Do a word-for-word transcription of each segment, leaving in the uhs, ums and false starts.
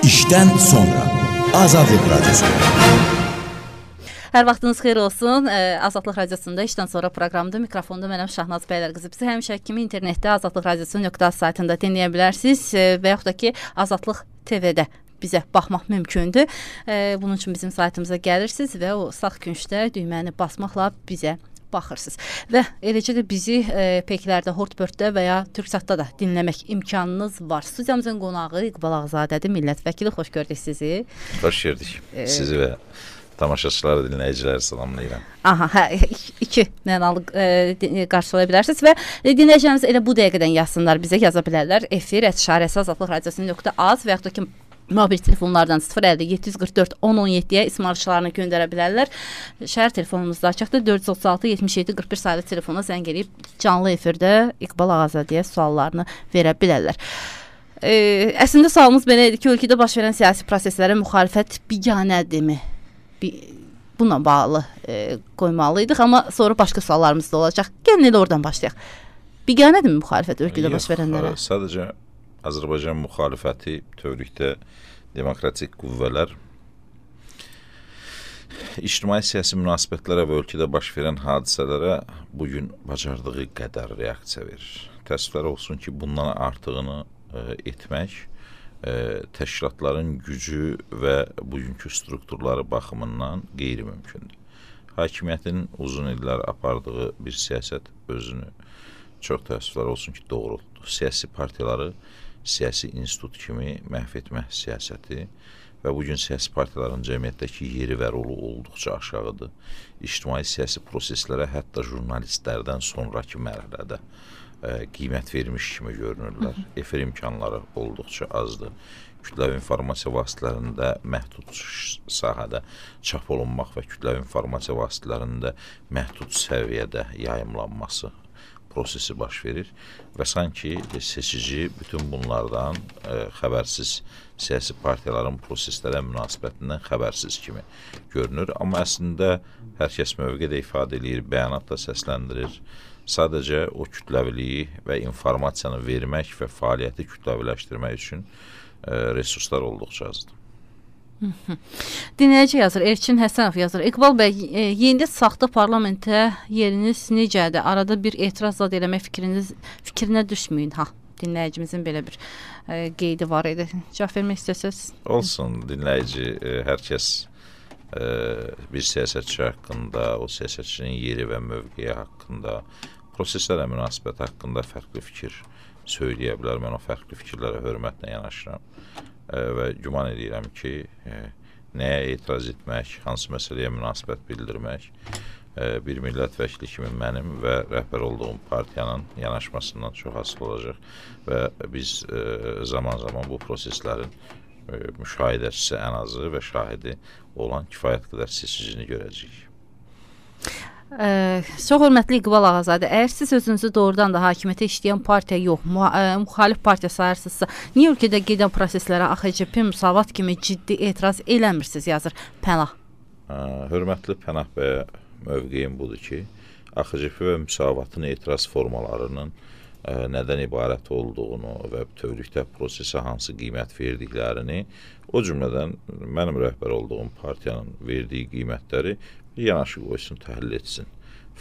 İşdən sonra Azadlıq Radyosu. Hər vaxtınız xeyir olsun. Azadlıq Radiosunda işdən sonra proqramda mikrofonda mənəm Şahnaz Bəylərqızı. Bizi həmişə kimi internetdə azadlıq radiosu nöqtə az saytında dinləyə bilərsiniz və yaxud da ki Azadlıq T V-də bizə baxmaq mümkündür. Bunun üçün bizim saytımıza gəlirsiniz və o sağ küncdə düyməni basmaqla bizə baxırsınız. Və eləcə də bizi e, Peklərdə, Hortbörtdə və ya Türksatda da dinləmək imkanınız var. Studiyamızın qonağı İqbal Ağzadədir, millət vəkili. Xoş gördük sizi. Xoş gördük. E, sizi və tamaşaçıları, dinləyiciləri salamlayıram. Aha, hə, iki mənalı e, qarşılaya bilərsiniz və dinləyicilərimiz elə bu dəqiqədən yazsınlar, bizə yaza bilərlər. Efir et işarəsi azadlıq radiosu nöqtə az və yaxud da ki mobil telefonlardan sıfır əlli yeddi yüz qırx dörd on on yeddiyə ismarışlarını göndərə bilərlər. Şəhər telefonumuzda açıqdır. dörd yüz otuz altı yetmiş yeddi qırx bir sayılı telefona zəng edib canlı efirdə İqbal Ağzadəyə suallarını verə bilərlər. E, əslində sualımız belə idi ki, ölkədə baş verən siyasi proseslərə müxalifət biganədirmi? Bununla bağlı e, qoymalıydıq, amma sonra başqa suallarımız da olacaq. Gəlin elə oradan başlayaq. Biganədirmi müxalifət ölkədə baş verənlərə? Yox, sadəcə Azərbaycan müxalifəti bütövlükdə demokratik qüvvələr ictimai-siyasi münasibətlərə və ölkədə baş verən hadisələrə bugün bacardığı qədər reaksiya verir. Təəssüflər olsun ki, bundan artığını e, etmək e, təşkilatların gücü və bugünkü strukturları baxımından qeyri-mümkündür. Hakimiyyətin uzun illər apardığı bir siyasət özünü çox təəssüflər olsun ki, doğrultdu. Siyasi partiyaları siyasi institut kimi məhv etmək siyasəti və bugün siyasi partiyaların cəmiyyətdəki yeri və rolu olduqca aşağıdır. İctimai siyasi proseslərə hətta jurnalistlərdən sonraki mərhələdə e, qiymət vermiş kimi görünürlər. Efir imkanları olduqca azdır. Kütləvi informasiya vasitələrində məhdud sahədə çap olunmaq və kütləvi informasiya vasitələrində məhdud səviyyədə yayımlanması prosesi baş verir və sanki seçici bütün bunlardan e, xəbərsiz siyasi partiyaların proseslərə münasibətindən xəbərsiz kimi görünür. Amma əslində hər kəs mövqedə ifadə edir, bəyanatda səsləndirir. Sadəcə o kütləviliyi və informasiyanı vermək və fəaliyyəti kütləviləşdirmək üçün e, resurslar olduqca azdır. Dinləyici yazır, Elçin Həsənov yazır. İqbal bəy, e, yeni saxta parlamentə yeriniz necədir? Arada bir etiraz zad eləmək fikriniz, fikrinə düşməyin. Ha, dinləyicimizin belə bir e, qeydi var idi. Cavab vermək istəsəz? Olsun, dinləyici, e, hər kəs e, bir siyasətçi haqqında, o siyasətçinin yeri və mövqeyi haqqında, proseslərə münasibət haqqında fərqli fikir söyləyə bilər. Mən o fərqli fikirlərə hörmətlə yanaşıram. Və güman edirəm ki, e, nəyə etiraz etmək, hansı məsələyə münasibət bildirmək e, bir millət vəkili kimi mənim və rəhbər olduğum partiyanın yanaşmasından çox asılı olacaq və biz zaman-zaman e, bu proseslərin e, müşahidəçisi ən azı və şahidi olan kifayət qədər seçicini görəcəyik. Ə, çox hörmətli İqbal Ağazadə, əgər siz özünüzü doğrudan da hakimiyyətə işləyən partiya yox, müxalif partiya sayırsınızsa, niyə ölkədə gedən proseslərə A X C P Müsavat kimi ciddi etiraz eləmirsiniz, yazır Pənah. Ə, hörmətli Pənah bəyə mövqeyim budur ki, A X C P və Müsavatın etiraz formalarının ə, nədən ibarət olduğunu və bütövlükdə prosesə hansı qiymət verdiklərini, o cümlədən mənim rəhbər olduğum partiyanın verdiyi qiymətləri yanaşı qoysun, təhlil etsin.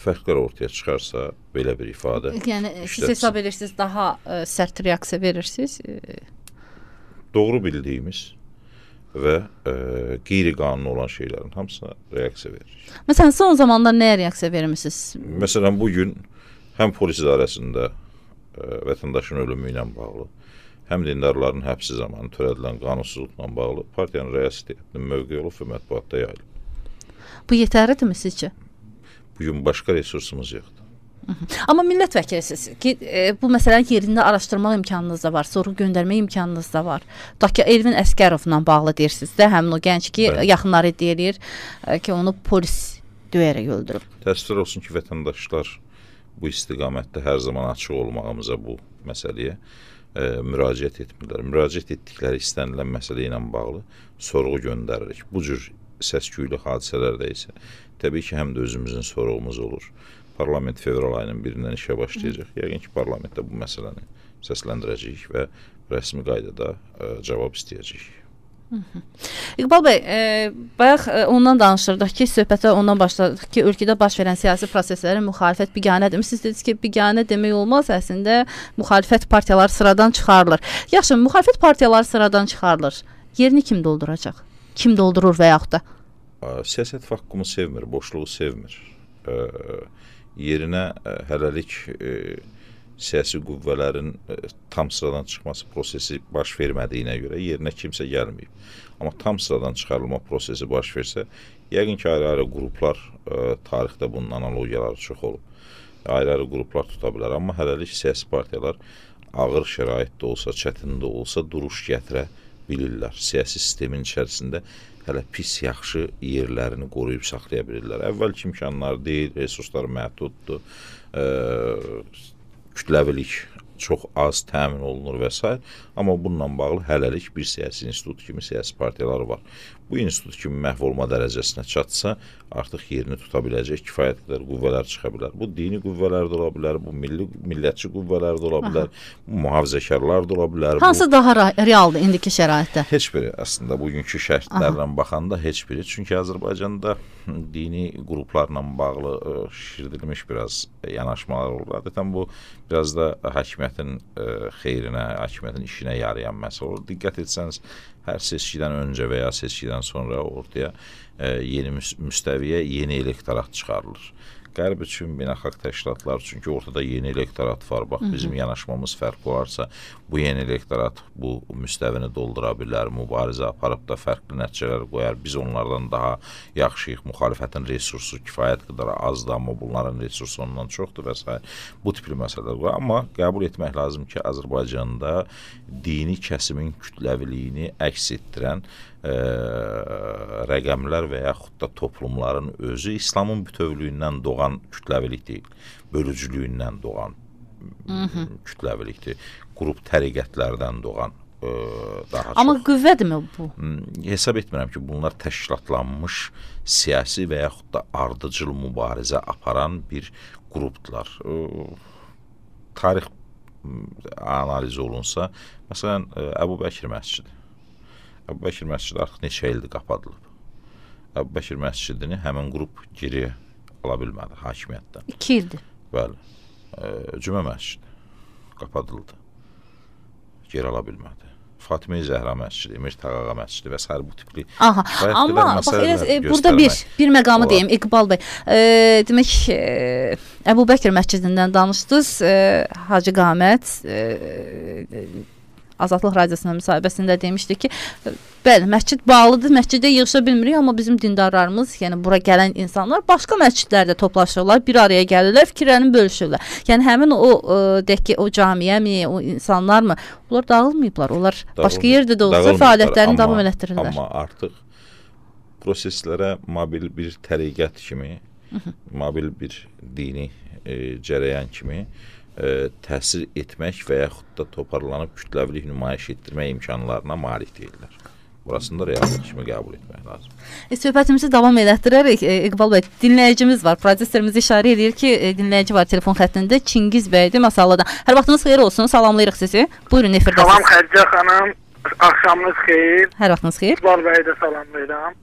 Fərqlər ortaya çıxarsa belə bir ifadə. Yəni siz hesab edirsiniz, daha ə, sərt reaksiya verirsiniz? Doğru bildiyimiz və ə, qeyri-qanuni olan şeylərin hamısına reaksiya veririk. Məsələn, son zamanlar nəyə reaksiya vermişsiniz? Məsələn, bugün həm polis idarəsində ə, vətəndaşın ölümü ilə bağlı, həm dindarların həbsi zamanı törədilən qanunsuzluqla bağlı partiyanın rəissiyyətinin mövqeyi olub və mətbuatda yayılıb. Bu yetərlidirmi sizcə? Bugün başqa resursumuz yoxdur. Hı -hı. Amma millət vəkilisiniz ki, e, bu məsələni yerində araşdırmaq imkanınız da var, sorğu göndərmə imkanınız da var. Tutaq ki, Elvin Əsgərovla bağlı deyirsiniz də, həmin o gənc ki, Bəli. yaxınları iddia edir e, ki, onu polis döyərək öldürüb. Təəssüflər olsun ki, vətəndaşlar bu istiqamətdə hər zaman açıq olmağımıza bu məsələyə e, müraciət etmirlər. Müraciət etdikləri istənilən məsələ ilə bağlı sorğu göndəririk. Bu cür səs-küylü hadisələrdə isə təbii ki, həm də özümüzün sorğumuz olur. Parlament fevral ayının birindən işə başlayacaq. Yəqin ki, parlamentdə bu məsələni səsləndirəcəyik və rəsmi qaydada ə, cavab istəyəcəyik. İqbal bəy, e, bayaq e, ondan danışırdıq ki, söhbətə ondan başladıq ki, ölkədə baş verən siyasi proseslərin müxalifət biganədir. Siz dediniz ki, biganə demək olmaz, əslində müxalifət partiyaları sıradan çıxarılır. Yaxşı, müxalifət partiyaları sıradan çıxarılır. Yerini kim dolduracaq? Kim doldurur və yaxud da? Siyasət vakuumu sevmir, boşluğu sevmir. E, yerinə e, hələlik e, siyasi qüvvələrin e, tam sıradan çıxması prosesi baş vermədiyinə görə yerinə kimsə gəlməyib. Amma tam sıradan çıxarılma prosesi baş versə, yəqin ki, ayrı-ayrı qruplar, e, tarixdə bunun analogiyaları çox olub. Ayrı-ayrı qruplar tuta bilər. Amma hələlik siyasi partiyalar ağır şəraitdə olsa, çətində olsa duruş gətirə bilirlər. Siyasi sistemin içərisində hələ pis, yaxşı yerlərini qoruyub saxlaya bilirlər. Əvvəlki imkanlar deyil, resurslar məhduddur, e, kütləvilik çox az təmin olunur və s. Amma bununla bağlı hələlik bir siyasi institut kimi siyasi partiyalar var. Bu institut kimi məhv olma dərəcəsinə çatsa, artıq yerini tuta biləcək kifayət qədər qüvvələr çıxa bilər. Bu dini qüvvələr də ola bilər, bu milli, millətçi qüvvələr də ola bilər, bu mühafizəkarlar da ola bilər. Hansı bu, daha realdır indiki şəraitdə? Heç biri, əslində bugünkü şərtlərlə baxanda heç biri. Çünki Azərbaycanda dini qruplarla bağlı ə, şişirdilmiş biraz yanaşmalar olur. Adətən bu biraz da hakimiyyətin ə, xeyrinə, hakimiyyətin işinə yarayan məsələ olur. Diqqət etsəniz, hər seçkidən öncə və ya seçkidən sonra ortaya e, yeni müstəviyə yeni elektorat çıxarılır. Qərb üçün, beynəlxalq təşkilatlar üçün ki, ortada yeni elektorat var. Bax, bizim yanaşmamız fərqi varsa, bu yeni elektorat bu müstəvini doldura bilər, mübarizə aparıb da fərqli nəticələr qoyar. Biz onlardan daha yaxşıyıq. Müxalifətin resursu kifayət qədər azdır, amma bunların resursu ondan çoxdur və s. Bu tipli məsələlər var. Amma qəbul etmək lazım ki, Azərbaycanda dini kəsimin kütləviliyini əks etdirən e, rəqəmlər və yaxud da toplumların özü İslamın bütövlüyündən doğan kütləvilik deyil, bölücülüyündən doğan Hı-hı. kütləvilikdir. Qrup təriqətlərdən doğan e, daha çox. Amma qüvvədirmi bu? Hesab etmirəm ki, bunlar təşkilatlanmış siyasi və yaxud da ardıcıl mübarizə aparan bir qrupdular. E, tarix analiz olunsa, məsələn, Əbu Bəkir məscidi. Əbu Bəkir məscidi artıq neçə ildir qapadılıb. Əbu Bəkir məscidini həmin qrup geri ala bilmədi hakimiyyətdən. İki ildir. Bəli. Cümə məscidi qapadıldı. Geri ala bilmədi. Fatimə-i Zəhra məscidi, Emir Tağağa məscidi və s. bu tipli. Aha, amma bax, elə, burada bir, bir məqamı deyim, İqbal bəy. E, demək, e, Əbu Bəkir məscidindən danışdınız, e, Hacı Qamət e, Azadlıq Radiosuna müsahibəsində demişdi ki, bəli, məscid bağlıdır, məscidə yığışa bilmirik, amma bizim dindarlarımız, yəni bura gələn insanlar başqa məscidlərdə toplaşırlar, bir araya gəlirlər, fikirlərini bölüşürlər. Yəni həmin o deyək ki, o camiyəmi, o insanlarmı, onlar dağılmayıblar, onlar Dağılmıyor. başqa yerdə də olsa fəaliyyətlərini davam elətdirirlər. Amma artıq proseslərə mobil bir təriqət kimi, Hı -hı. mobil bir dini e, cərəyan kimi E, təsir etmək və yaxud da toparlanıb kütləvilik nümayiş etdirmək imkanlarına malik deyirlər. Burasında reallıq kimi qəbul etmək lazım. E, söhbətimizi davam elətdirərək, e, İqbal bəy, dinləyicimiz var. Prodüserimiz işarə edir ki, e, dinləyici var telefon xəttində. Çingiz bəydir Masalladan. Hər vaxtınız xeyir olsun. Salamlayırıq sizi. Buyurun, efirdəsiniz. Salam Xədicə xanım. Axşamınız xeyir. Hər vaxtınız xeyir. İqbal bəyi də salamlayıram.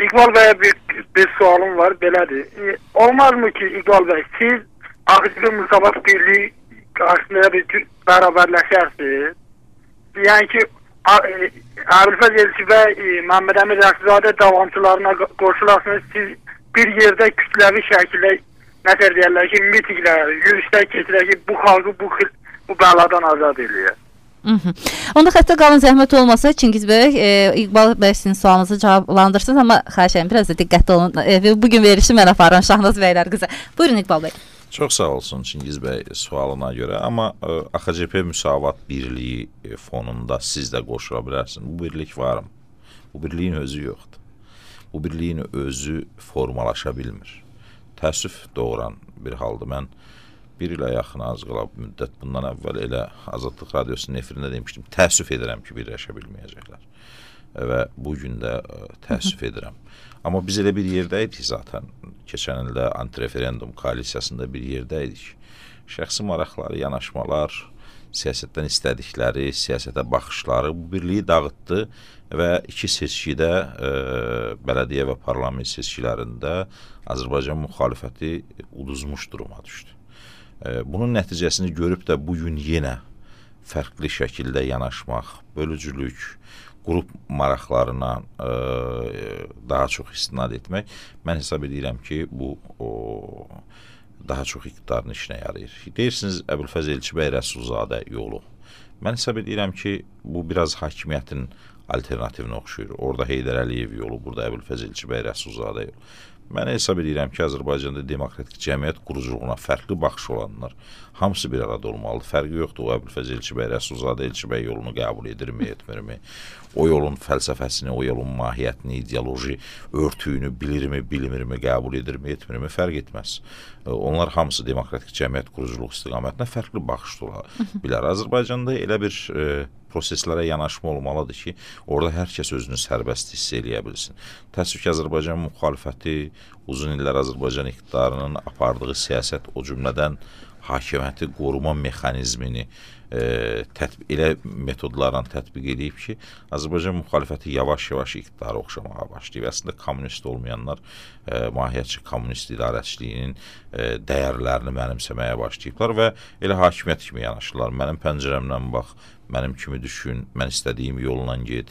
İqbal bəyə bir, bir sualım var, belədir. E, olmazmı ki, İqbal bəy, siz Ağızlı Müsavat Birliği qarşısında bir bərabərləşərsiniz. Yəni ki, Əbülfəz Elçi və Məhəmməd Əmir Rəşizadə davamçılarına qoşularsınız, siz bir yerdə kütləvi şəkildə nəzər deyərlər ki, mitinglər, yürüyüşlər keçirək ki, bu xalqı bu, bu bəladan azad edir. Onda xəttə qalın, zəhmət olmasa Çingiz bəy, e, İqbal bəy sizin sualınızı cavablandırsınız, amma xahiş edirəm, biraz da diqqətli olun. E, bugün verişi mən aparıram Şahnaz bəylər qıza. Buyurun İqbal bəy. Çox sağ olsun Çingiz bəy sualına görə, amma A X C P Müsavat Birliyi fonunda siz də qoşula bilərsiniz. Bu birlik varım. Bu birliyin özü yoxdur. Bu birliyin özü formalaşa bilmir. Təəssüf doğuran bir haldır. Mən bir ilə yaxın az qala müddət bundan əvvəl elə Azadlıq Radiosunun efirində demişdim. Təəssüf edirəm ki, birləşə bilməyəcəklər. Və bugün də təəssüf edirəm. Amma biz elə bir yerdəydik zaten. Keçən ildə antireferendum koalisiyasında bir yerdəydik. Şəxsi maraqları, yanaşmalar, siyasətdən istədikləri, siyasətə baxışları bu birliyi dağıtdı və iki seçkidə, e, bələdiyyə və parlament seçkilərində Azərbaycan müxalifəti uduzmuş duruma düşdü. E, bunun nəticəsini görüb də bugün yenə fərqli şəkildə yanaşmaq, bölücülük, qrup maraqlarına e, daha çox istinad etmək, mən hesab edirəm ki, bu o, daha çox iqtidarın işinə yarayır. Deyirsiniz, Əbülfəz Elçibəy Rəsulzadə yolu. Mən hesab edirəm ki, bu biraz hakimiyyətin alternativinə oxşuyur. Orada Heydər Əliyev yolu, burada Əbülfəz Elçibəy Rəsulzadə yolu. Mən hesab edirəm ki, Azərbaycanda demokratik cəmiyyət quruculuğuna fərqli baxış olanlar hamısı bir arada olmalıdır. Fərqi yoxdur, o Əbülfəz Elçibəy Rəsulzadə Elçibəy yolunu qəbul edirmi, etmirmi? O yolun fəlsəfəsini, o yolun mahiyyətini, ideoloji örtüyünü bilirmi, bilmirmi, qəbul edirmi, etmirmi, fərq etməz. Onlar hamısı demokratik cəmiyyət quruculuq istiqamətinə fərqli baxış ola bilər. Azərbaycanda elə bir e, proseslərə yanaşma olmalıdır ki, orada hər kəs özünü sərbəst hiss eləyə bilsin. Təəssüf ki, Azərbaycan müxalifəti uzun illər Azərbaycan iqtidarının apardığı siyasət, o cümlədən hakimiyyəti qoruma mexanizmini e, tətbiq, elə metodlarla tətbiq edib ki, Azərbaycan müxalifəti yavaş-yavaş iqtidara oxşamağa başlayıb. Əslində kommunist olmayanlar e, mahiyyətçi kommunist idarəçiliyinin e, dəyərlərini mənimsəməyə başlayıblar və elə hakimiyyət kimi yanaşırlar. Mənim pəncərəmdən bax, mənim kimi düşün, mən istədiyim yolla get,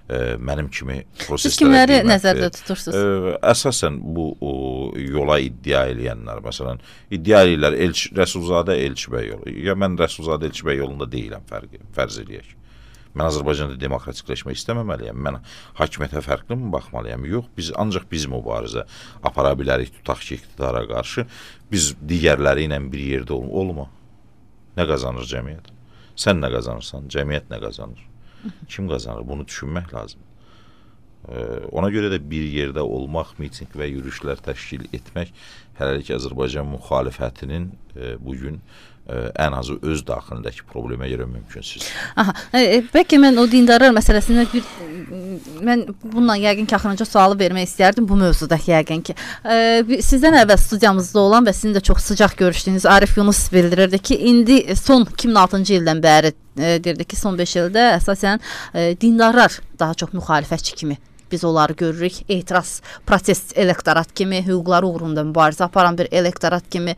e, mənim kimi proseslərə Siz kimləri qiymət nəzərdə ver. tutursunuz? E, əsasən bu o, yola iddia eləyənlər, məsələn, iddia eləyirlər Elçi, Rəsulzadə Elçibəy yolu. Ya mən Rəsulzadə Elçibəy yolunda deyiləm, fərqi, fərz eləyək. Mən Azərbaycanda demokratikləşmək istəməməliyəm. Mən hakimiyyətə fərqli mi baxmalıyam? Yox, biz ancaq biz mübarizə apara bilərik, tutaq ki, iqtidara qarşı. Biz digərləri ilə bir yerdə ol olma. Nə qazanır cəmiyyət? Sən nə qazanırsan, cəmiyyət nə qazanır? Kim qazanır? Bunu düşünmək lazım. Ee, ona görə də bir yerdə olmaq, miting və yürüyüşlər təşkil etmək hələlik Azərbaycan müxalifətinin e, bugün e, ən azı öz daxilindəki problemə görə mümkünsüz. Aha, e, bəlkə mən o dindarlar məsələsində bir, mən bununla yəqin ki, axırıncı sualı vermək istərdim bu mövzuda yəqin ki. E, sizdən əvvəl studiyamızda olan və sizin də çox sıcaq görüşdüyünüz Arif Yunus bildirirdi ki, indi son iki min altıncı ildən bəri e, deyirdi ki, son beş ildə əsasən e, dindarlar daha çox müxalifətçi kimi biz onları görürük. Etiraz, protest elektorat kimi, hüquqları uğrunda mübarizə aparan bir elektorat kimi.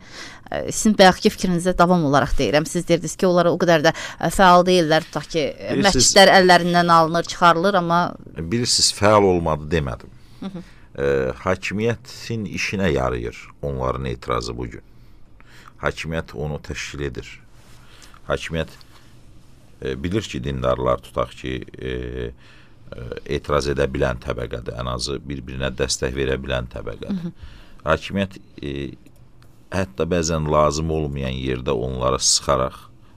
Sizin bayaqki fikrinizə davam olaraq deyirəm. Siz deyirdiniz ki, onlara o qədər də fəal deyirlər. Tutaq ki, məscidlər əllərindən alınır, çıxarılır, amma... Bilirsiniz, fəal olmadı demədim. Hı -hı. E, hakimiyyətin işinə yarayır onların etirazı bugün. Hakimiyyət onu təşkil edir. Hakimiyyət e, bilir ki, dindarlar tutaq ki, e, etiraz edə bilən təbəqədə, ən azı bir-birinə dəstək verə bilən təbəqədə. Hakimiyyət e, hətta bəzən lazım olmayan yerdə onları sıxaraq,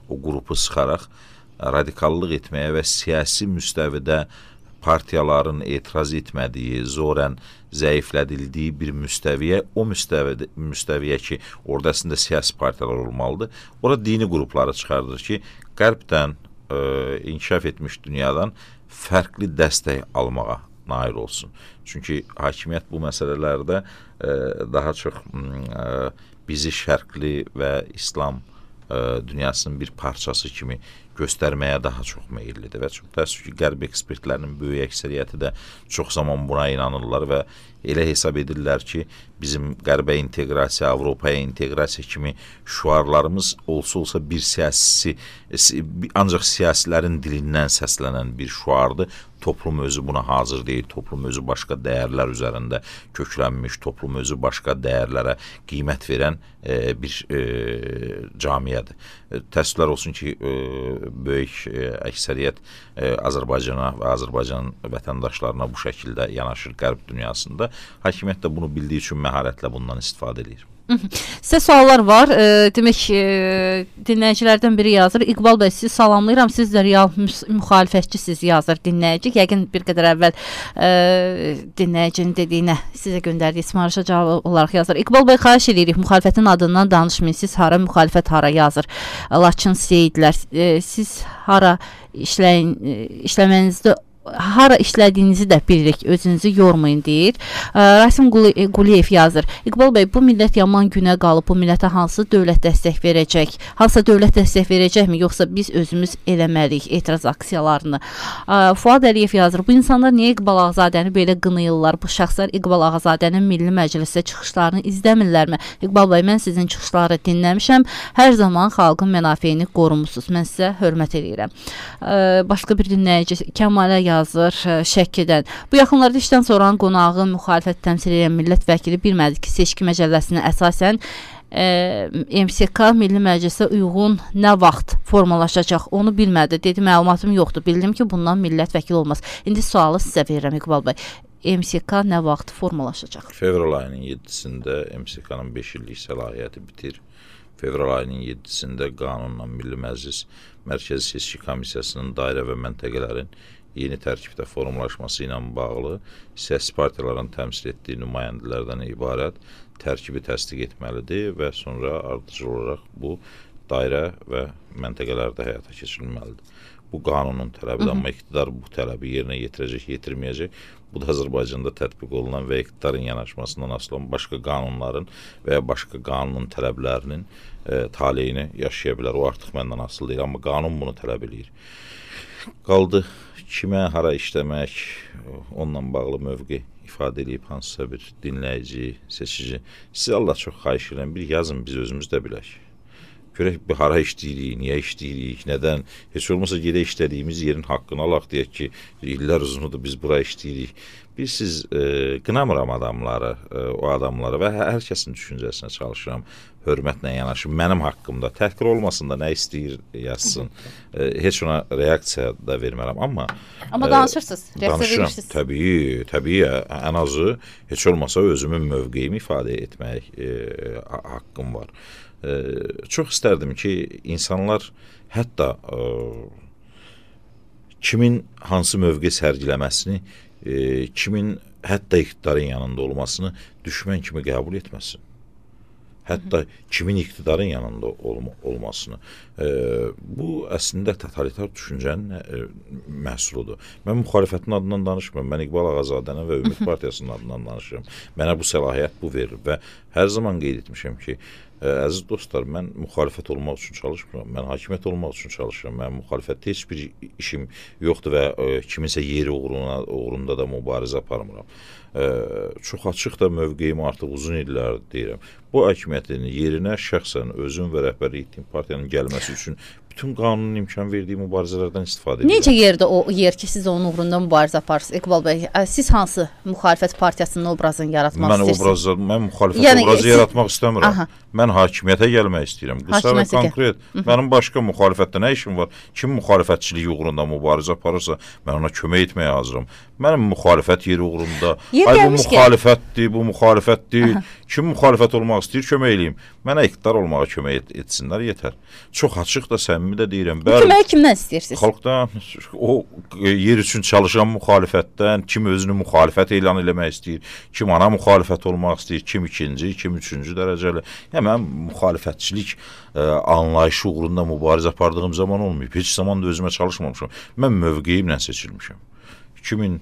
o qrupu sıxaraq radikallıq etməyə və siyasi müstəvidə partiyaların etiraz etmədiyi, zorən zəiflədildiyi bir müstəviyə, o müstəviyə, müstəviyə ki, orada əslində siyasi partiyalar olmalıdır, orada dini qrupları çıxardır ki, qərbdən e, inkişaf etmiş dünyadan fərqli dəstək almağa nail olsun. Çünki hakimiyyət bu məsələlərdə e, daha çox e, bizi şərqli və İslam e, dünyasının bir parçası kimi göstərməyə daha çox meyillidir və çox təəssüf ki, qərb ekspertlərinin böyük əksəriyyəti də çox zaman buna inanırlar və elə hesab edirlər ki, bizim qərbə inteqrasiya, Avropaya inteqrasiya kimi şüarlarımız olsa-olsa bir siyasi, ancaq siyasilərin dilindən səslənən bir şüardır. Toplum özü buna hazır deyil, toplum özü başqa dəyərlər üzərində köklənmiş, toplum özü başqa dəyərlərə qiymət verən e, bir e, camiyyədir. E, təəssüflər olsun ki, e, böyük e, əksəriyyət e, Azərbaycana və Azərbaycan vətəndaşlarına bu şəkildə yanaşır qərb dünyasında. Hakimiyyət də bunu bildiyi üçün məharətlə bundan istifadə edir. Sizə suallar var. E, demək, e, dinləyicilərdən biri yazır. İqbal bəy, sizi salamlayıram. Siz də real müxalifətçisiz yazır dinləyici. Yəqin bir qədər əvvəl e, dinləyicinin dediyinə sizə göndərdiyi ismarışa cavab olaraq yazır. İqbal bəy, xahiş edirik, müxalifətin adından danışmayın. Siz hara, müxalifət hara yazır. Laçın Seyidlər. E, siz hara işləyin, e, işləmənizdə hara işlədiyinizi də bilirik, özünüzü yormayın deyir. Rasim Quliyev yazır. İqbal bəy, bu millət yaman günə qalıb, bu millətə hansı dövlət dəstək verəcək? Hansısa dövlət dəstək verəcəkmi, yoxsa biz özümüz eləməliyik etiraz aksiyalarını? Fuad Əliyev yazır. Bu insanlar niyə İqbal Ağazadəni belə qınayırlar? Bu şəxslər İqbal Ağazadənin Milli Məclisdə çıxışlarını izləmirlərmi? İqbal bəy, mən sizin çıxışları dinləmişəm. Hər zaman xalqın mənafeyini qorumusunuz. Mən sizə hörmət edirəm. Başqa bir dinləyici Kəmalə yazır Şəkidən. Bu yaxınlarda işdən sonra qonağı müxalifət təmsil edən millət vəkili bilmədi ki, seçki məcəlləsinə əsasən M S K Milli Məclisə uyğun nə vaxt formalaşacaq, onu bilmədi. Dedi, məlumatım yoxdur. Bildim ki, bundan millət vəkili olmaz. İndi sualı sizə verirəm İqbal bəy. M S K nə vaxt formalaşacaq? Fevral ayının yeddisində M S K-nın beş illik səlahiyyəti bitir. Fevral ayının yeddisində qanunla Milli Məclis Mərkəzi Seçki Komissiyasının dairə və məntəqələrin yeni tərkibdə formalaşması ilə bağlı siyasi partiyaların təmsil etdiyi nümayəndələrdən ibarət tərkibi təsdiq etməlidir və sonra ardıcıl olaraq bu dairə və məntəqələrdə həyata keçirilməlidir. Bu qanunun tələbidir, amma iqtidar bu tələbi yerinə yetirəcək, yetirməyəcək. Bu da Azərbaycanda tətbiq olunan və iqtidarın yanaşmasından asılı olan başqa qanunların və ya başqa qanunun tələblərinin e, taleyini yaşaya bilər. O artıq məndən asılı deyil, amma qanun bunu tələb edir. Qaldı kimə, hara işləmək, onunla bağlı mövqe ifadə edib hansısa bir dinləyici, seçici. Siz Allah çox xahiş edirəm, bir yazın, biz özümüz də bilək. Görək, bir hara işləyirik, niyə işləyirik, nədən, heç olmasa gedə işlədiyimiz yerin haqqını alaq, deyək ki, illər uzunudur, biz bura işləyirik. Bir siz e, qınamıram adamları, e, o adamları və hər kəsin düşüncəsinə çalışıram, hörmətlə yanaşım. Mənim haqqımda təhqir olmasın da nə istəyir yazsın. E, heç ona reaksiya da vermərəm, amma... Amma danışırsınız, reaksiya verirsiniz. Təbii, təbii, ən azı heç olmasa özümün mövqeyimi ifadə etmək e, haqqım var. E, çox istərdim ki, insanlar hətta e, kimin hansı mövqe sərgiləməsini, e, kimin hətta iqtidarın yanında olmasını düşmən kimi qəbul etməsin. Hətta kimin iqtidarın yanında olma, olmasını. E, bu əslində totalitar düşüncənin e, məhsuludur. Mən müxalifətin adından danışmıram. Mən İqbal Ağazadənin və Ümid Partiyasının adından danışıram. Mənə bu səlahiyyət bu verir və hər zaman qeyd etmişəm ki, ə, əziz dostlar, mən müxalifət olmaq üçün çalışmıram. Mən hakimiyyət olmaq üçün çalışıram. Mən müxalifətdə heç bir işim yoxdur və ə, kiminsə yeri uğruna, uğrunda da mübarizə aparmıram. Ə, çox açıq da mövqeyim artıq uzun illər deyirəm. Bu hakimiyyətin yerinə şəxsən özüm və rəhbərlik etdiyim partiyanın gəlməsi üçün bütün qanunun imkan verdiyi mübarizələrdən istifadə edirəm. Necə yerdə o yer ki, siz onun uğrunda mübarizə aparırsınız? İqbal bəy, siz hansı müxalifət partiyasının obrazını yaratmaq mən istəyirsiniz? Obrazı, mən müxalifət yəni, obrazı siz... yaratmaq istəmirəm. Aha. Mən hakimiyyətə gəlmək istəyirəm. Qısa və konkret. Hı -hı. Mənim başqa müxalifətdə nə işim var? Kim müxalifətçiliyi uğrunda mübarizə aparırsa, mən ona kömək etməyə hazıram. Mənim müxalifət yeri uğrunda, yer ay bu müxalifətdir, bu müxalifət deyil. Aha. Kim müxalifət olmaq istəyir, kömək eləyim. Mənə iqtidar olmağa kömək et, etsinlər, yetər. Çox açıq da, səmimi də deyirəm. Bu köməyi kimdən istəyirsiniz? Xalqdan, o yer üçün çalışan müxalifətdən, kim özünü müxalifət elan eləmək istəyir, kim ana müxalifət olmaq istəyir, kim ikinci, kim üçüncü dərəcəli. Yəni, mən müxalifətçilik ə, anlayışı uğrunda mübarizə apardığım zaman olmayıb. Heç zaman da özümə çalışmamışam. Mən mövqeyimlə seçilmişəm. iki min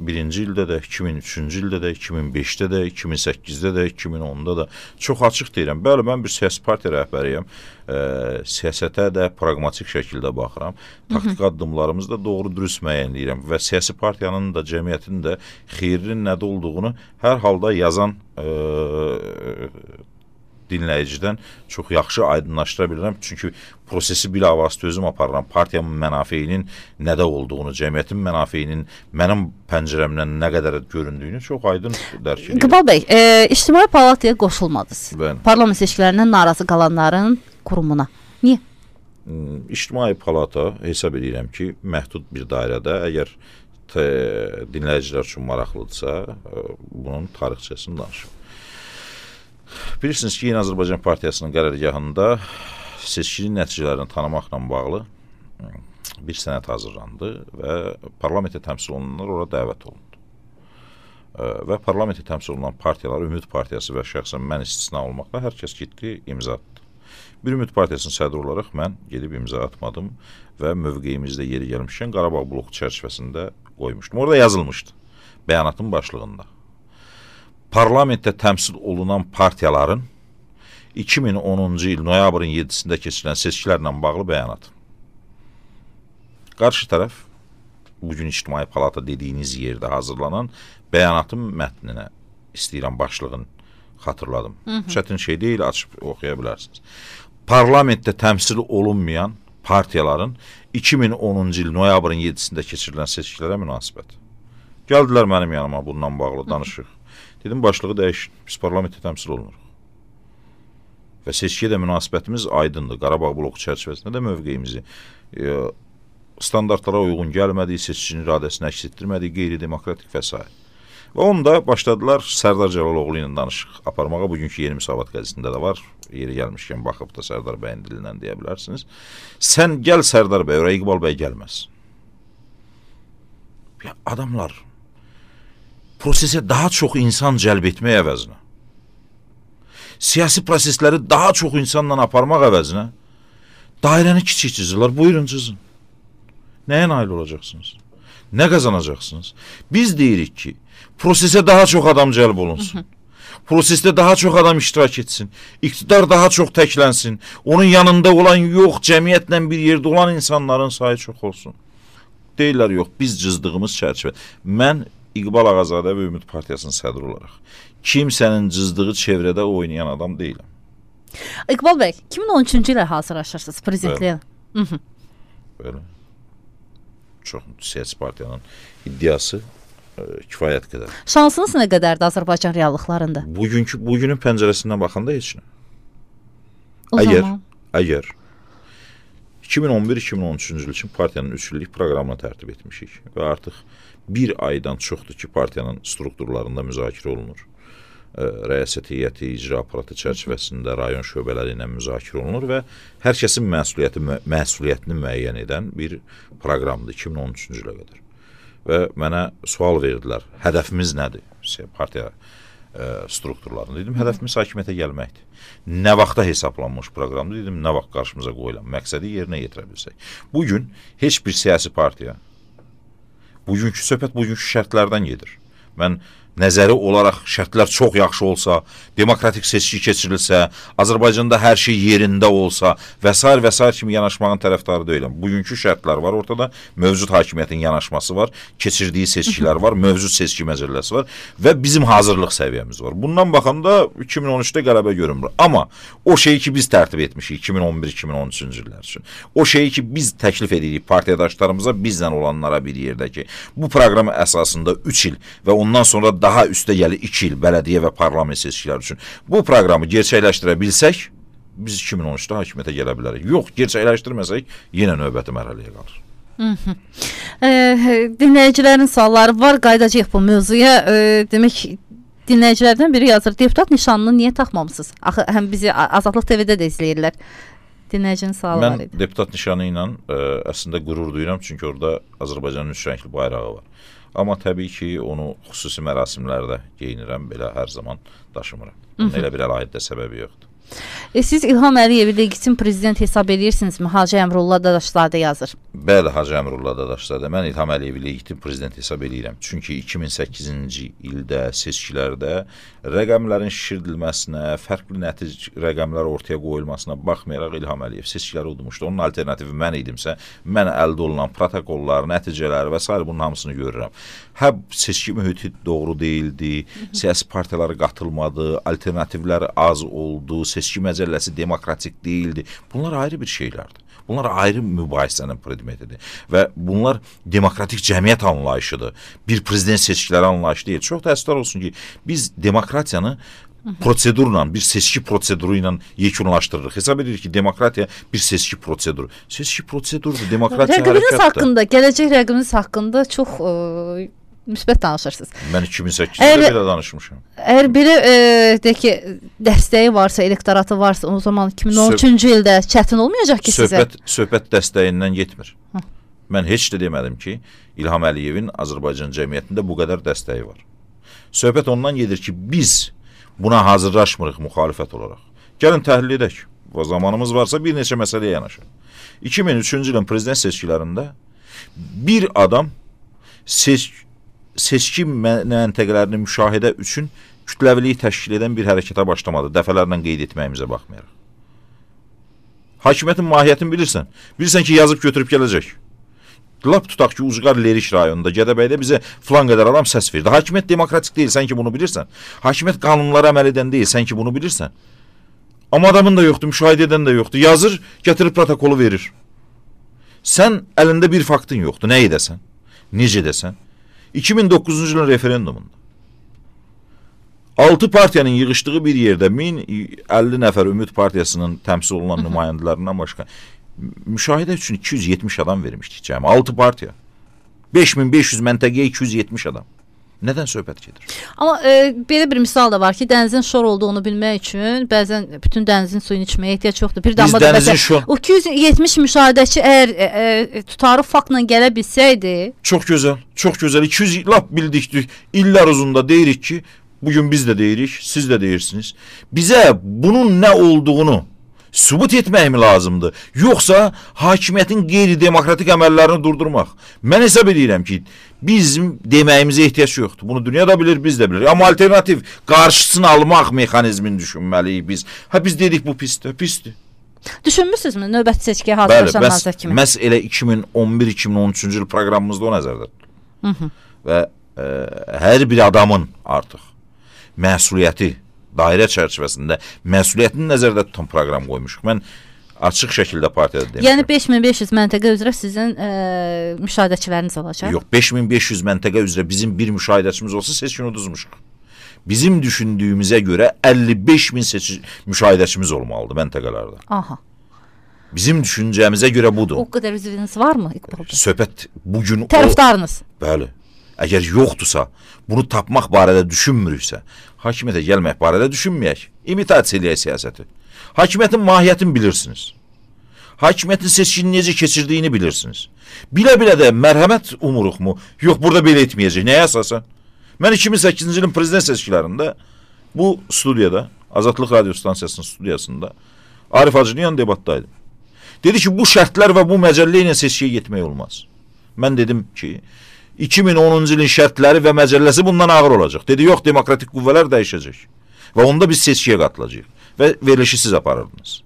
birinci ildə də, iki min üçüncü ildə də, iki min beşdə də, iki min səkkizdə də, iki min onda da çox açıq deyirəm. Bəli, mən bir siyasi partiya rəhbəriyəm. E, siyasətə də pragmatik şəkildə baxıram. Taktik addımlarımızı da doğru dürüst müəyyənləyirəm və siyasi partiyanın da, cəmiyyətin də xeyrinin nədə olduğunu hər halda yazan e, dinləyicidən çox yaxşı aydınlaşdıra bilirəm. Çünki prosesi bilavasitə özüm aparıram. Partiyanın mənafeyinin nədə olduğunu, cəmiyyətin mənafeyinin mənim pəncərəmdən nə qədər göründüyünü çox aydın dərk edirəm. İqbal bəy, e, İctimai Palataya qoşulmadınız. Bəli. Parlament seçkilərindən narazı qalanların qurumuna. Niyə? İctimai Palata hesab edirəm ki, məhdud bir dairədə, əgər dinləyicilər üçün maraqlıdırsa, bunun tarixçəsini danışım. Bilirsiniz ki, Yeni Azərbaycan Partiyasının qərargahında seçkinin nəticələrini tanımaqla bağlı bir sənəd hazırlandı və parlamentə təmsil olunanlar ora dəvət olundu. Və parlamentə təmsil olunan partiyalar, Ümid Partiyası və şəxsən mən istisna olmaqla hər kəs getdi, imza atdı. Bir Ümid Partiyasının sədri olaraq mən gedib imza atmadım və mövqeyimizdə yeri gəlmişkən Qarabağ bloku çərçivəsində qoymuşdum. Orada yazılmışdı bəyanatın başlığında. Parlamentdə təmsil olunan partiyaların iki min onuncu il noyabrın yeddisində keçirilən seçkilərlə bağlı bəyanat. Qarşı tərəf bugün İctimai Palata dediyiniz yerdə hazırlanan bəyanatın mətninə istəyirəm başlığını xatırladım. Hı -hı. Çətin şey deyil, açıb oxuya bilərsiniz. Parlamentdə təmsil olunmayan partiyaların iki min onuncu il noyabrın yeddisində keçirilən seçkilərə münasibət. Gəldilər mənim yanıma bundan bağlı danışıq. Dedim, başlığı dəyişin, biz parlamentdə təmsil olunuruq. Və seçkiyə də münasibətimiz aydındır. Qarabağ bloku çərçivəsində də mövqeyimizi e, standartlara uyğun gəlmədiyi, seçicinin iradəsini əks etdirmədiyi, qeyri-demokratik və s. Və onda başladılar Sərdar Cəlaloğlu ilə danışıq aparmağa. Bugünkü Yeni Müsavat qəzetində də var. Yeri gəlmişkən baxıb da Sərdar bəyin dilindən deyə bilərsiniz. Sən gəl Sərdar bəy, oraya İqbal bəy gəlməz. Ya, adamlar prosesə daha çox insan cəlb etmək əvəzinə, siyasi prosesləri daha çox insanla aparmaq əvəzinə dairəni kiçik çizirlər. Buyurun çizin. Nəyə nail olacaqsınız? Nə qazanacaqsınız? Biz deyirik ki, prosesə daha çox adam cəlb olunsun. Prosesdə daha çox adam iştirak etsin. İqtidar daha çox təklənsin. Onun yanında olan yox, cəmiyyətlə bir yerdə olan insanların sayı çox olsun. Deyirlər, yox, biz cızdığımız çərçivə. Mən İqbal Ağazadə və Ümid Partiyasının sədri olaraq kimsənin cızdığı çevrədə oynayan adam deyiləm. İqbal bəy, iki min on üçüncü ilə hazırlaşırsınız prezidentliyə. Belə. Çox siyasi partiyanın iddiası e, kifayət qədər. Şansınız nə qədərdir Azərbaycan reallıqlarında? Bugünkü, bugünün pəncərəsindən baxanda heç nə. O əgər, zaman? Əgər iki min on bir iki min on üçüncü il üçün partiyanın üç illik proqramını tərtib etmişik və artıq bir aydan çoxdur ki, partiyanın strukturlarında müzakirə olunur. E, rəyasət heyəti, icra aparatı çərçivəsində rayon şöbələri ilə müzakirə olunur və hər kəsin məsuliyyəti, məsuliyyətini müəyyən edən bir proqramdır iki min on üçüncü ilə qədər. Və mənə sual verdilər, hədəfimiz nədir? Partiya e, strukturlarında. Dedim, hədəfimiz hakimiyyətə gəlməkdir. Nə vaxta hesablanmış proqramdır? Dedim, nə vaxt qarşımıza qoyulan məqsədi yerinə yetirə bilsək. Bugün heç bir siyasi partiya, bugünkü söhbət bugünkü şərtlərdən gedir. Mən nəzəri olaraq şərtlər çox yaxşı olsa, demokratik seçki keçirilsə, Azərbaycanda hər şey yerində olsa və s. və s. kimi yanaşmağın tərəfdarı deyiləm. Bugünkü şərtlər var ortada, mövcud hakimiyyətin yanaşması var, keçirdiyi seçkilər var, mövcud seçki məcəlləsi var və bizim hazırlıq səviyyəmiz var. Bundan baxanda iki min on üçdə qələbə görünmür. Amma o şeyi ki biz tərtib etmişik iki min on bir iki min on üçüncü illər üçün, o şeyi ki biz təklif edirik partiyadaşlarımıza, bizlə olanlara bir yerdə ki, bu proqram əsasında üç il və ondan sonra daha üstə gəlir iki il bələdiyyə və parlament seçkiləri üçün. Bu proqramı gerçəkləşdirə bilsək, biz iki min on üçdə hakimiyyətə gələ bilərik. Yox, gerçəkləşdirməsək, yenə növbəti mərhələyə qalır. E, dinləyicilərin sualları var, qaydacaq bu mövzuya. E, demək, dinləyicilərdən biri yazır, deputat nişanını niyə taxmamısınız? Axı, həm bizi Azadlıq T V-də də izləyirlər. Dinləyicinin sualı var idi. Mən deputat nişanı ilə ə, əslində qürur duyuram, çünki orada Azərbaycanın üç rəngli bayrağı var. Amma təbii ki, onu xüsusi mərasimlərdə geyinirəm, belə hər zaman daşımıram. Elə bir əlahiddə səbəbi yoxdur. E, siz İlham Əliyevi legitim prezident hesab edirsinizmi? Hacı Əmrullah Dadaşzadə yazır. Bəli, Hacı Əmrullah Dadaşzadə. Mən İlham Əliyevi legitim prezident hesab edirəm. Çünki iki min səkkizinci ildə seçkilərdə rəqəmlərin şişirdilməsinə, fərqli nəticə rəqəmlər ortaya qoyulmasına baxmayaraq İlham Əliyev seçkiləri udmuşdu. Onun alternativi mən idimsə, mən əldə olunan protokollar, nəticələr və s. bunun hamısını görürəm. Hə, seçki mühiti doğru deyildi, siyasi partiyalara qatılmadı, alternativlər az oldu, seçki məcəlləsi demokratik deyildi. Bunlar ayrı bir şeylərdir. Bunlar ayrı mübahisənin predmetidir. Və bunlar demokratik cəmiyyət anlayışıdır. Bir prezident seçkiləri anlayışı deyil. Çox təəssüflər olsun ki, biz demokratiyanı prosedurla, bir seçki proseduru ilə yekunlaşdırırıq. Hesab edirik ki, demokratiya bir seçki proseduru. Seçki prosedurdur, demokratiya hərəkətdir. Rəqibiniz haqqında, gələcək rəqibiniz haqqında çox ə, müsbət danışırsınız. Mən iki min səkkizdə belə danışmışam. Əgər biri e, de ki, dəstəyi varsa, elektoratı varsa, o zaman iki min on üçüncü ildə çətin olmayacaq ki söhbət, sizə? Söhbət dəstəyindən getmir. Hı. Mən heç də demədim ki, İlham Əliyevin Azərbaycan cəmiyyətində bu qədər dəstəyi var. Söhbət ondan gedir ki, biz buna hazırlaşmırıq müxalifət olaraq. Gəlin təhlil edək. zamanımız varsa bir neçə məsələyə yanaşır. iki min üçüncü ilin prezident seçkilərində bir adam seç, seçki məntəqələrini müşahidə üçün kütləviliyi təşkil edən bir hərəkətə başlamadı. Dəfələrlə qeyd etməyimizə baxmayaraq. Hakimiyyətin mahiyyətini bilirsən. Bilirsən ki, yazıb götürüb gələcək. Lap tutaq ki, Ucqar Leriş rayonunda, Gədəbəydə bizə filan qədər adam səs verdi. Hakimiyyət demokratik deyil, sən ki bunu bilirsən. Hakimiyyət qanunlara əməl edən deyil, sən ki bunu bilirsən. Amma adamın da yoxdur, müşahidə edən də yoxdur. Yazır, gətirib protokolu verir. Sən əlində bir faktın yoxdur. Nə edəsən? Necə edəsən? iki min doqquzuncu ilin referendumunda altı partiyanın yığışdığı bir yerdə min əlli nəfər Ümid Partiyasının təmsil olunan nümayəndələrindən başqa müşahidə üçün iki yüz yetmiş adam vermişdik cəmi. altı partiya. beş min beş yüz məntəqəyə iki yüz yetmiş adam. Nədən söhbət gedir? Amma e, belə bir misal da var ki, dənizin şor olduğunu bilmək üçün bəzən bütün dənizin suyunu içməyə ehtiyac yoxdur. Bir damla da bəzən şor... o iki yüz yetmiş müşahidəçi əgər e, e, tutarı faktla gələ bilsəydi. Çox gözəl, çox gözəl. iki yüz lap bildikdik. İllər uzunda deyirik ki, bugün biz də deyirik, siz də deyirsiniz. Bizə bunun nə olduğunu sübut etmək mi lazımdır? Yoxsa hakimiyyətin qeyri-demokratik əməllərini durdurmaq? Mən hesab edirəm ki, bizim deməyimizə ehtiyac yoxdur. Bunu dünya da bilir, biz də bilir. Amma alternativ qarşısını almaq mexanizmini düşünməliyik biz. Ha biz dedik bu pisdir, pisdir. Düşünmüsünüzmü növbəti seçkiyə hazırlaşan nazir kimi? Məhz elə iki min on bir iki min on üçüncü il proqramımızda o nəzərdə tutulur. Və e, hər bir adamın artıq məsuliyyəti dairə çərçivəsində məsuliyyətini nəzərdə tutan proqram qoymuşuq. Mən açıq şəkildə partiyada demişəm. Yəni beş min beş yüz məntəqə üzrə sizin e, müşahidəçiləriniz olacaq? Yox, beş min beş yüz məntəqə üzrə bizim bir müşahidəçimiz olsa seçkini uduzmuşuq. Bizim düşündüyümüzə görə əlli beş min seçi müşahidəçimiz olmalıdır məntəqələrdə. Aha. Bizim düşüncəmizə görə budur. O qədər üzvünüz varmı İqbal bəy? Söhbət bugün tərəfdarınız. O, bəli. Əgər yoxdursa, bunu tapmaq barədə düşünmürüksə, hakimiyyətə gəlmək barədə düşünməyək. İmitasiya eləyək siyasəti. Hakimiyyətin mahiyyətini bilirsiniz. Hakimiyyətin seçkini necə keçirdiyini bilirsiniz. Bilə-bilə də mərhəmət umuruq mu? Yox, burada belə etməyəcək. Nəyə əsasən? Mən iki min səkkizinci ilin prezident seçkilərində bu studiyada, Azadlıq Radio Stansiyasının studiyasında Arif Hacıyan debatdaydım. Dedi ki, bu şərtlər və bu məcəllə ilə seçkiyə getmək olmaz. Mən dedim ki, iki min onuncu ilin şərtləri və məcəlləsi bundan ağır olacaq. Dedi, yox, demokratik qüvvələr dəyişəcək. Və onda biz seçkiyə qatılacağıq. Və verilişi siz aparırdınız.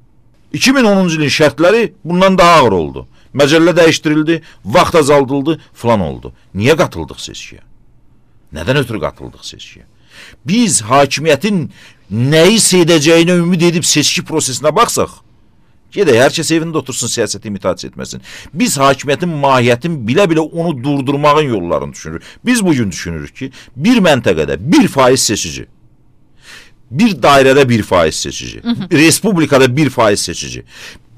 iki min onuncu ilin şərtləri bundan daha ağır oldu. Məcəllə dəyişdirildi, vaxt azaldıldı, falan oldu. Niyə qatıldıq seçkiyə? Nədən ötürü qatıldıq seçkiyə? Biz hakimiyyətin nəyi edəcəyinə ümid edib seçki prosesinə baxsaq, gedək, hər kəs evində otursun, siyasəti imitasiya etməsin. Biz hakimiyyətin mahiyyətini bilə-bilə onu durdurmağın yollarını düşünürük. Biz bugün düşünürük ki, bir məntəqədə bir faiz seçici, bir dairədə bir faiz seçici, hı -hı. respublikada bir faiz seçici,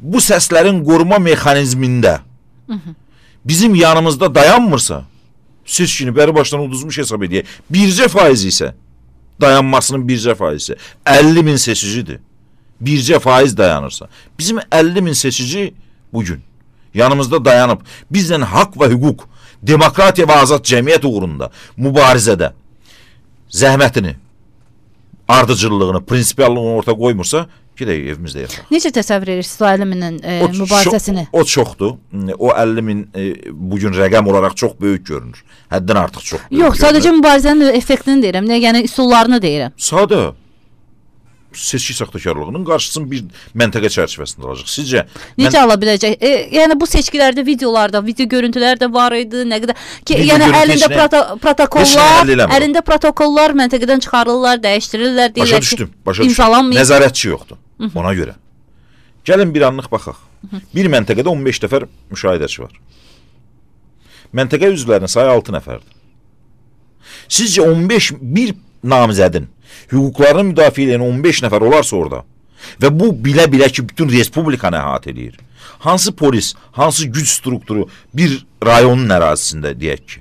bu səslərin qoruma mexanizmində hı -hı. bizim yanımızda dayanmırsa, seçkini bəri başdan uduzmuş hesab edək. Bircə faiz isə, dayanmasının bircə faiz isə əlli min seçicidir. Bircə faiz dayanırsa. Bizim əlli min seçici bugün yanımızda dayanıb, bizlə haqq və hüquq, demokratiya və azad cəmiyyət uğrunda mübarizədə zəhmətini, ardıcıllığını, prinsipiallığını orta qoymursa, gedək evimizdə yataq. Necə təsəvvür edirsiniz o əlli minin e, o mübarizəsini? O, o çoxdur. O əlli min e, bugün rəqəm olaraq çox böyük görünür. Həddən artıq çox böyük Yox, görünür. sadəcə mübarizənin effektini deyirəm, nə, yəni üsullarını deyirəm. Sadə. Seçki saxtakarlığının qarşısını bir məntəqə çərçivəsində alacaq. Sizcə? Necə mən... ala biləcək? E, yəni bu seçkilərdə videolarda, video görüntülər də var idi, nə qədər ki, video yəni əlində proto protokollar, əlində protokollar məntəqədən çıxarırlar, dəyişdirirlər, deyirlər başa düşdüm, başa ki, imzalanmayıb. Nəzarətçi yoxdur. Hı -hı. Ona görə. Gəlin bir anlıq baxaq. Hı -hı. Bir məntəqədə on beş nəfər müşahidəçi var. Məntəqə üzvlərinin sayı altı nəfərdir. Sizcə on beş bir namizədin hüquqlarını müdafiə edən on beş nəfər olarsa orada və bu bilə-bilə ki, bütün respublikanı əhatə edir. Hansı polis, hansı güc strukturu bir rayonun ərazisində deyək ki,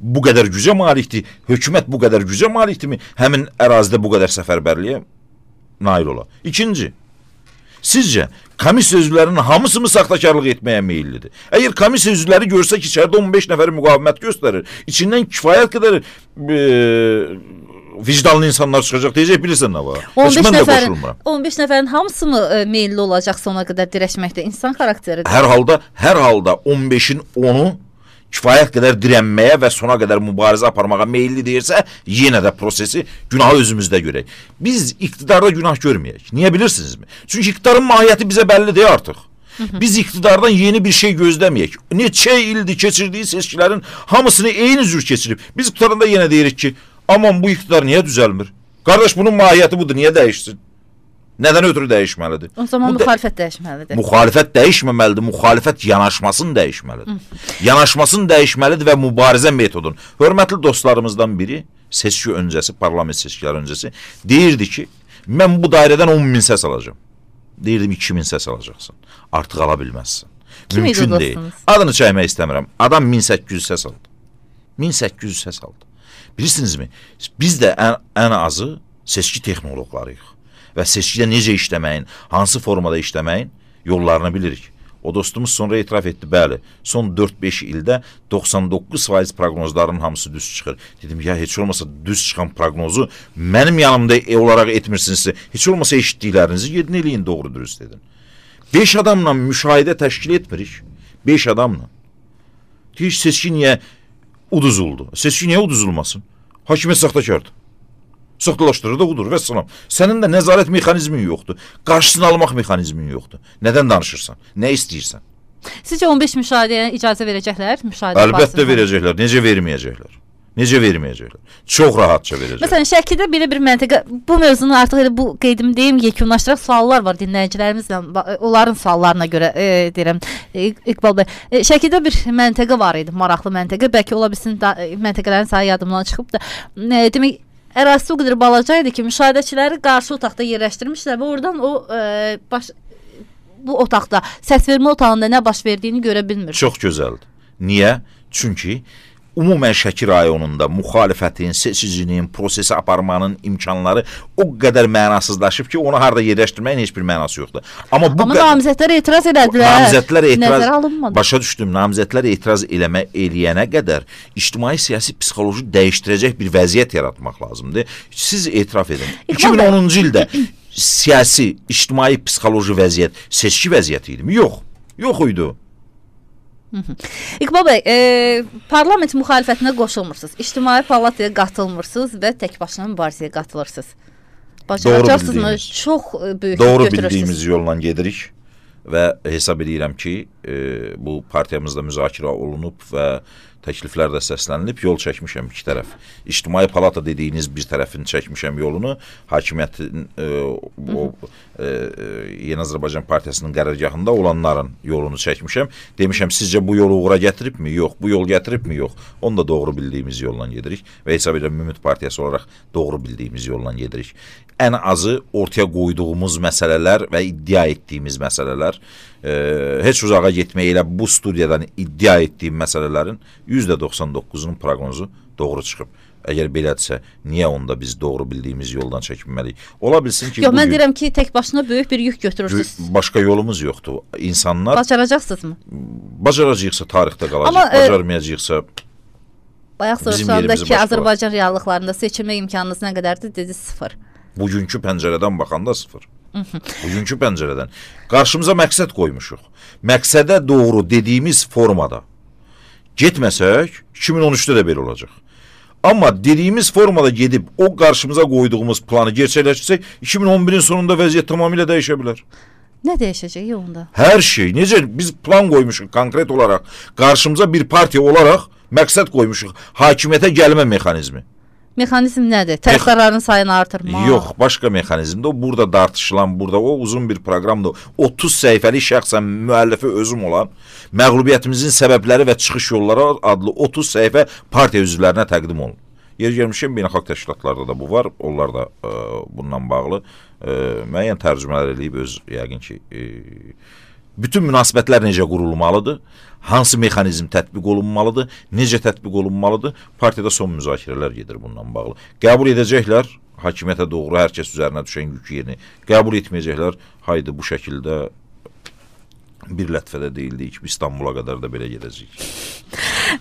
bu qədər gücə malikdir, hökumət bu qədər gücə malikdirmi, həmin ərazidə bu qədər səfərbərliyə nail ola. İkinci, sizcə komissiya üzvlərinin hamısı mı saxtakarlıq etməyə meyillidir? Əgər komissiya üzvləri görsə ki, içəridə on beş nəfəri müqavimət göstərir, içindən kifayət qədər e, vicdanlı insanlar çıxacaq, deyəcək, bilirsən nə var? on beş Mən də nəfərin, qoşulmuram. on beş nəfərin hamısı mı e, meyilli olacaq sona qədər dirəşməkdə? İnsan xarakteridir. Hər halda, hər halda on beşin onu kifayət qədər dirənməyə və sona qədər mübarizə aparmağa meyilli deyirsə, yenə də prosesi, günahı özümüzdə görək. Biz iqtidarda günah görməyək. Niyə bilirsinizmi? Çünki iqtidarın mahiyyəti bizə bəllidir artıq. Biz iqtidardan yeni bir şey gözləməyək. Neçə ildir keçirdiyi seçkilərin hamısını eyni cür keçirib. Biz iqtidarında yenə deyirik ki, aman bu iqtidar niyə düzəlmir? Qardaş, bunun mahiyyəti budur, niyə dəyişsin? Nədən ötürü dəyişməlidir? O zaman bu müxalifət də dəyişməlidir. Müxalifət dəyişməməlidir, müxalifət yanaşmasını dəyişməlidir. Yanaşmasını dəyişməlidir və mübarizə metodunu. Hörmətli dostlarımızdan biri, seçki öncəsi, parlament seçkiləri öncəsi, deyirdi ki, mən bu dairədən on min səs alacağım. Deyirdim, iki min səs alacaqsın. Artıq ala bilməzsən. Mümkün deyil. Adını çəkmək istəmirəm. Adam min səkkiz yüz səs aldı. min səkkiz yüz səs aldı. Bilirsinizmi? Biz də ən, ən azı seçki texnoloqlarıyıq. Və seçkidə necə işləməyin, hansı formada işləməyin yollarını bilirik. O dostumuz sonra etiraf etdi, bəli, son dörd beş ildə doxsan doqquz faiz proqnozların hamısı düz çıxır. Dedim, ya heç olmasa düz çıxan proqnozu mənim yanımda olaraq etmirsinizsə, heç olmasa eşitdiklərinizi yedin eləyin, doğru dürüst edin. beş adamla müşahidə təşkil etmirik. beş adamla. Deyir, seçki niyə uduzuldu? Seçki niyə uduzulmasın? Hakimiyyət saxtakardır. Saxtalaşdırır da udur və salam. Sənin də nəzarət mexanizmin yoxdur. Qarşısını almaq mexanizmin yoxdur. Nədən danışırsan? Nə istəyirsən? Sizcə on beş müşahidəyə icazə verəcəklər? Müşahidə Əlbəttə verəcəklər. Necə verməyəcəklər? Necə verməyəcəklər? Çox rahatca verəcəklər. Məsələn, Şəkidə belə bir məntəqə, bu mövzunu artıq elə bu qeydim deyim, yekunlaşdıraq suallar var dinləyicilərimizlə, onların suallarına görə e, deyirəm, e, İqbal bəy. E, Şəkidə bir məntəqə var idi, maraqlı məntəqə. Bəlkə ola bilsin da, məntəqələrin sayı yadımdan çıxıb da. E, demək, ərazisi o qədər balaca idi ki, müşahidəçiləri qarşı otaqda yerləşdirmişlər və oradan o e, baş, bu otaqda, səsvermə otağında nə baş verdiyini görə bilmir. Çox gözəldir. Niyə? Çünki ümumən Şəki rayonunda müxalifətin, seçicinin, prosesi aparmanın imkanları o qədər mənasızlaşıb ki, onu harada yerləşdirməyin heç bir mənası yoxdur. Amma bu Amma namizədlər etiraz elədilər. Namizədlər etiraz nəzərə alınmadı. Başa düşdüm. Namizədlər etiraz eləmə eləyənə qədər ictimai siyasi psixoloji dəyişdirəcək bir vəziyyət yaratmaq lazımdır. Siz etiraf edin. iki min onuncu ildə siyasi, ictimai psixoloji vəziyyət seçki vəziyyəti idi mi? Yox. Yox idi. İqbal bəy, e, parlament müxalifətinə qoşulmursunuz, ictimai palataya qatılmırsınız və tək başına mübarizəyə qatılırsınız. Bacaracaqsınızmı? Çox böyük Doğru götürürsünüz. bildiyimiz yolla gedirik və hesab edirəm ki, e, bu partiyamızda müzakirə olunub və təkliflər də səslənilib, yol çəkmişəm iki tərəf. İctimai palata dediyiniz bir tərəfini çəkmişəm yolunu, hakimiyyətin e, o e, Yeni Azərbaycan Partiyasının qərargahında olanların yolunu çəkmişəm. Demişəm, sizcə bu yolu uğura gətiribmi? Yox. Bu yol gətiribmi? Yox. Onu da doğru bildiyimiz yolla gedirik və hesab edirəm, Ümid Partiyası olaraq doğru bildiyimiz yolla gedirik. Ən azı ortaya qoyduğumuz məsələlər və iddia etdiyimiz məsələlər, e, heç uzağa getməyə elə bu studiyadan iddia etdiyim məsələlərin yüzdə doxsan doqquzunun proqnozu doğru çıxıb. Əgər belədirsə, niyə onda biz doğru bildiyimiz yoldan çəkinməliyik? Ola bilsin ki... Yox, mən deyirəm ki, tək başına böyük bir yük götürürsünüz. Başqa yolumuz yoxdur. İnsanlar... Bacaracaqsınızmı? Bacaracaqsa tarixdə qalacaq, Amma, bacarmayacaqsa... Bayaq soruşanda ki, Azərbaycan reallıqlarında seçilmə imkanınız nə qədərdir? Dedi, sıfır. Bugünkü pəncərədən baxanda sıfır. Bugünkü pəncərədən. Qarşımıza məqsəd qoymuşuq. Məqsədə doğru dediyimiz formada getməsək, iki min on üçdə də belə olacaq. Amma dediyimiz formada gedib o qarşımıza qoyduğumuz planı gerçəkləşdirsək, iki min on birin sonunda vəziyyət tamamilə dəyişə bilər. Nə dəyişəcək onda? Hər şey. Necə biz plan qoymuşuq konkret olaraq, qarşımıza bir partiya olaraq məqsəd qoymuşuq. Hakimiyyətə gəlmə mexanizmi. Mexanizm nədir? Tərəfdarların sayını artırmaq? Yox, başqa mexanizmdir. O burada dartışılan, burada o uzun bir proqramdır. otuz səhifəlik şəxsən müəllifi özüm olan məğlubiyyətimizin səbəbləri və çıxış yolları adlı otuz səhifə partiya üzvlərinə təqdim olunur. Yer gəlmişəm, beynəlxalq təşkilatlarda da bu var. Onlar da e, bundan bağlı e, müəyyən tərcümələr eləyib öz, yəqin ki, e, bütün münasibətlər necə qurulmalıdır, hansı mexanizm tətbiq olunmalıdır, necə tətbiq olunmalıdır, partiyada son müzakirələr gedir bundan bağlı. Qəbul edəcəklər, hakimiyyətə doğru hər kəs üzərinə düşən yük yerini qəbul etməyəcəklər, haydi bu şəkildə bir lətifədə deyildik, İstanbula qədər də belə gedəcəyik.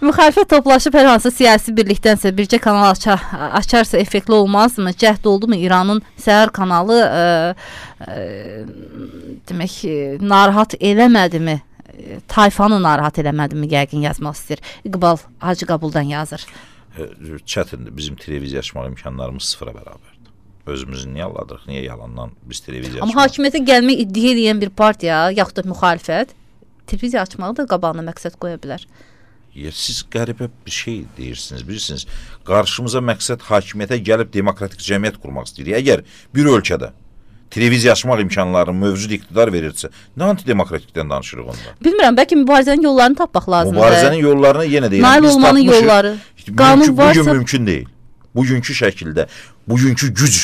Müxalifət toplaşıb hər hansı siyasi birlikdənsə bircə kanal açar, açarsa effektli olmazmı? Cəhd oldu mu İranın səhər kanalı ə, ə, demək narahat eləmədimi? Tayfanı narahat eləmədimi? Yəqin yazmaq istəyir. İqbal Hacıqabuldan yazır. Çətindir. Bizim televiziya açmaq imkanlarımız sıfıra bərabərdir. Özümüzü niyə alladırıq? Niyə yalandan biz televiziya açmaq? Amma hakimiyyətə gəlmək iddia edən bir partiya, yaxud da müxalifət televiziya açmağı da qabağına məqsəd qoya bilər. Ya, siz qəribə bir şey deyirsiniz, bilirsiniz. Qarşımıza məqsəd hakimiyyətə gəlib demokratik cəmiyyət qurmaq istəyir. Əgər bir ölkədə televiziya açmaq imkanlarını mövcud iqtidar verirsə, nə antidemokratikdən danışırıq onda? Bilmirəm, bəlkə mübarizənin yollarını tapmaq lazımdır. Mübarizənin yollarını yenə deyirəm. Nail olmanın yolları. Qanun varsa... Bugün mümkün deyil. Bugünkü şəkildə, bugünkü güc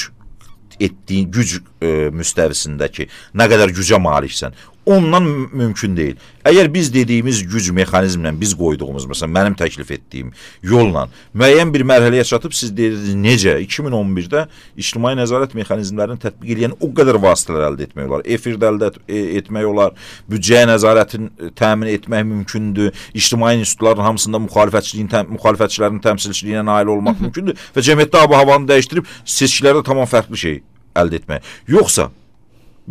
etdiyin güc e, müstəvisindəki nə qədər gücə maliksən, ondan mümkün deyil. Əgər biz dediyimiz güc mexanizmlə biz qoyduğumuz, məsələn, mənim təklif etdiyim yolla müəyyən bir mərhələyə çatıb, siz deyirsiniz, necə? iki min on birdə ictimai nəzarət mexanizmlərini tətbiq edən o qədər vasitələr əldə etmək olar. Efirdə əldə etmək olar, büdcəyə nəzarətin təmin etmək mümkündür, ictimai institutların hamısında müxalifətçiliyin, təm, müxalifətçilərin təmsilçiliyinə nail olmaq mümkündür və cəmiyyətdə ab-havanı dəyişdirib seçkilərdə tamam fərqli şey əldə etmək. Yoxsa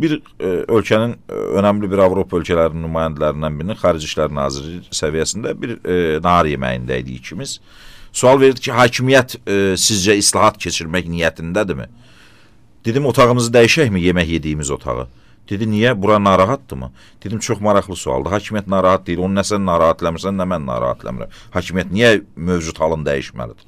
bir e, ölkənin e, önəmli bir Avropa ölkələrinin nümayəndələrindən birinin Xarici İşlər Naziri səviyyəsində bir e, nahar yeməyində idi ikimiz. Sual verdi ki, hakimiyyət e, sizcə islahat keçirmək niyyətindədirmi? Dedim, otağımızı dəyişəkmi, yemək yediyimiz otağı? Dedi, niyə? Bura narahatdırmı? Dedim, çox maraqlı sualdır. Hakimiyyət narahat deyil, onu nə sən narahat eləmirsən, nə mən narahat eləmirəm. Hakimiyyət niyə mövcud halını dəyişməlidir?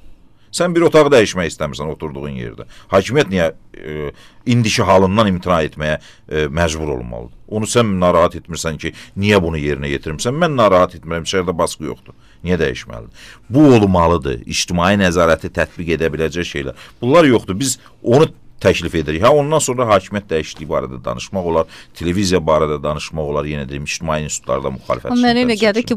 Sən bir otağı dəyişmək istəmirsən oturduğun yerdə. Hakimiyyət niyə e, indiki halından imtina etməyə e, məcbur olmalıdır? Onu sən narahat etmirsən ki, niyə bunu yerinə yetirmirsən? Mən narahat etmirəm, içəridə baskı yoxdur. Niyə dəyişməlidir? Bu olmalıdır. İctimai nəzarəti tətbiq edə biləcək şeylər. Bunlar yoxdur. Biz onu təklif edirik. Ha, ondan sonra hakimiyyət dəyişikliyi barədə danışmaq olar, televiziya barədə danışmaq olar, yenə deyim, ictimai institutlarda müxalifət. Mənə elə gəldi ki,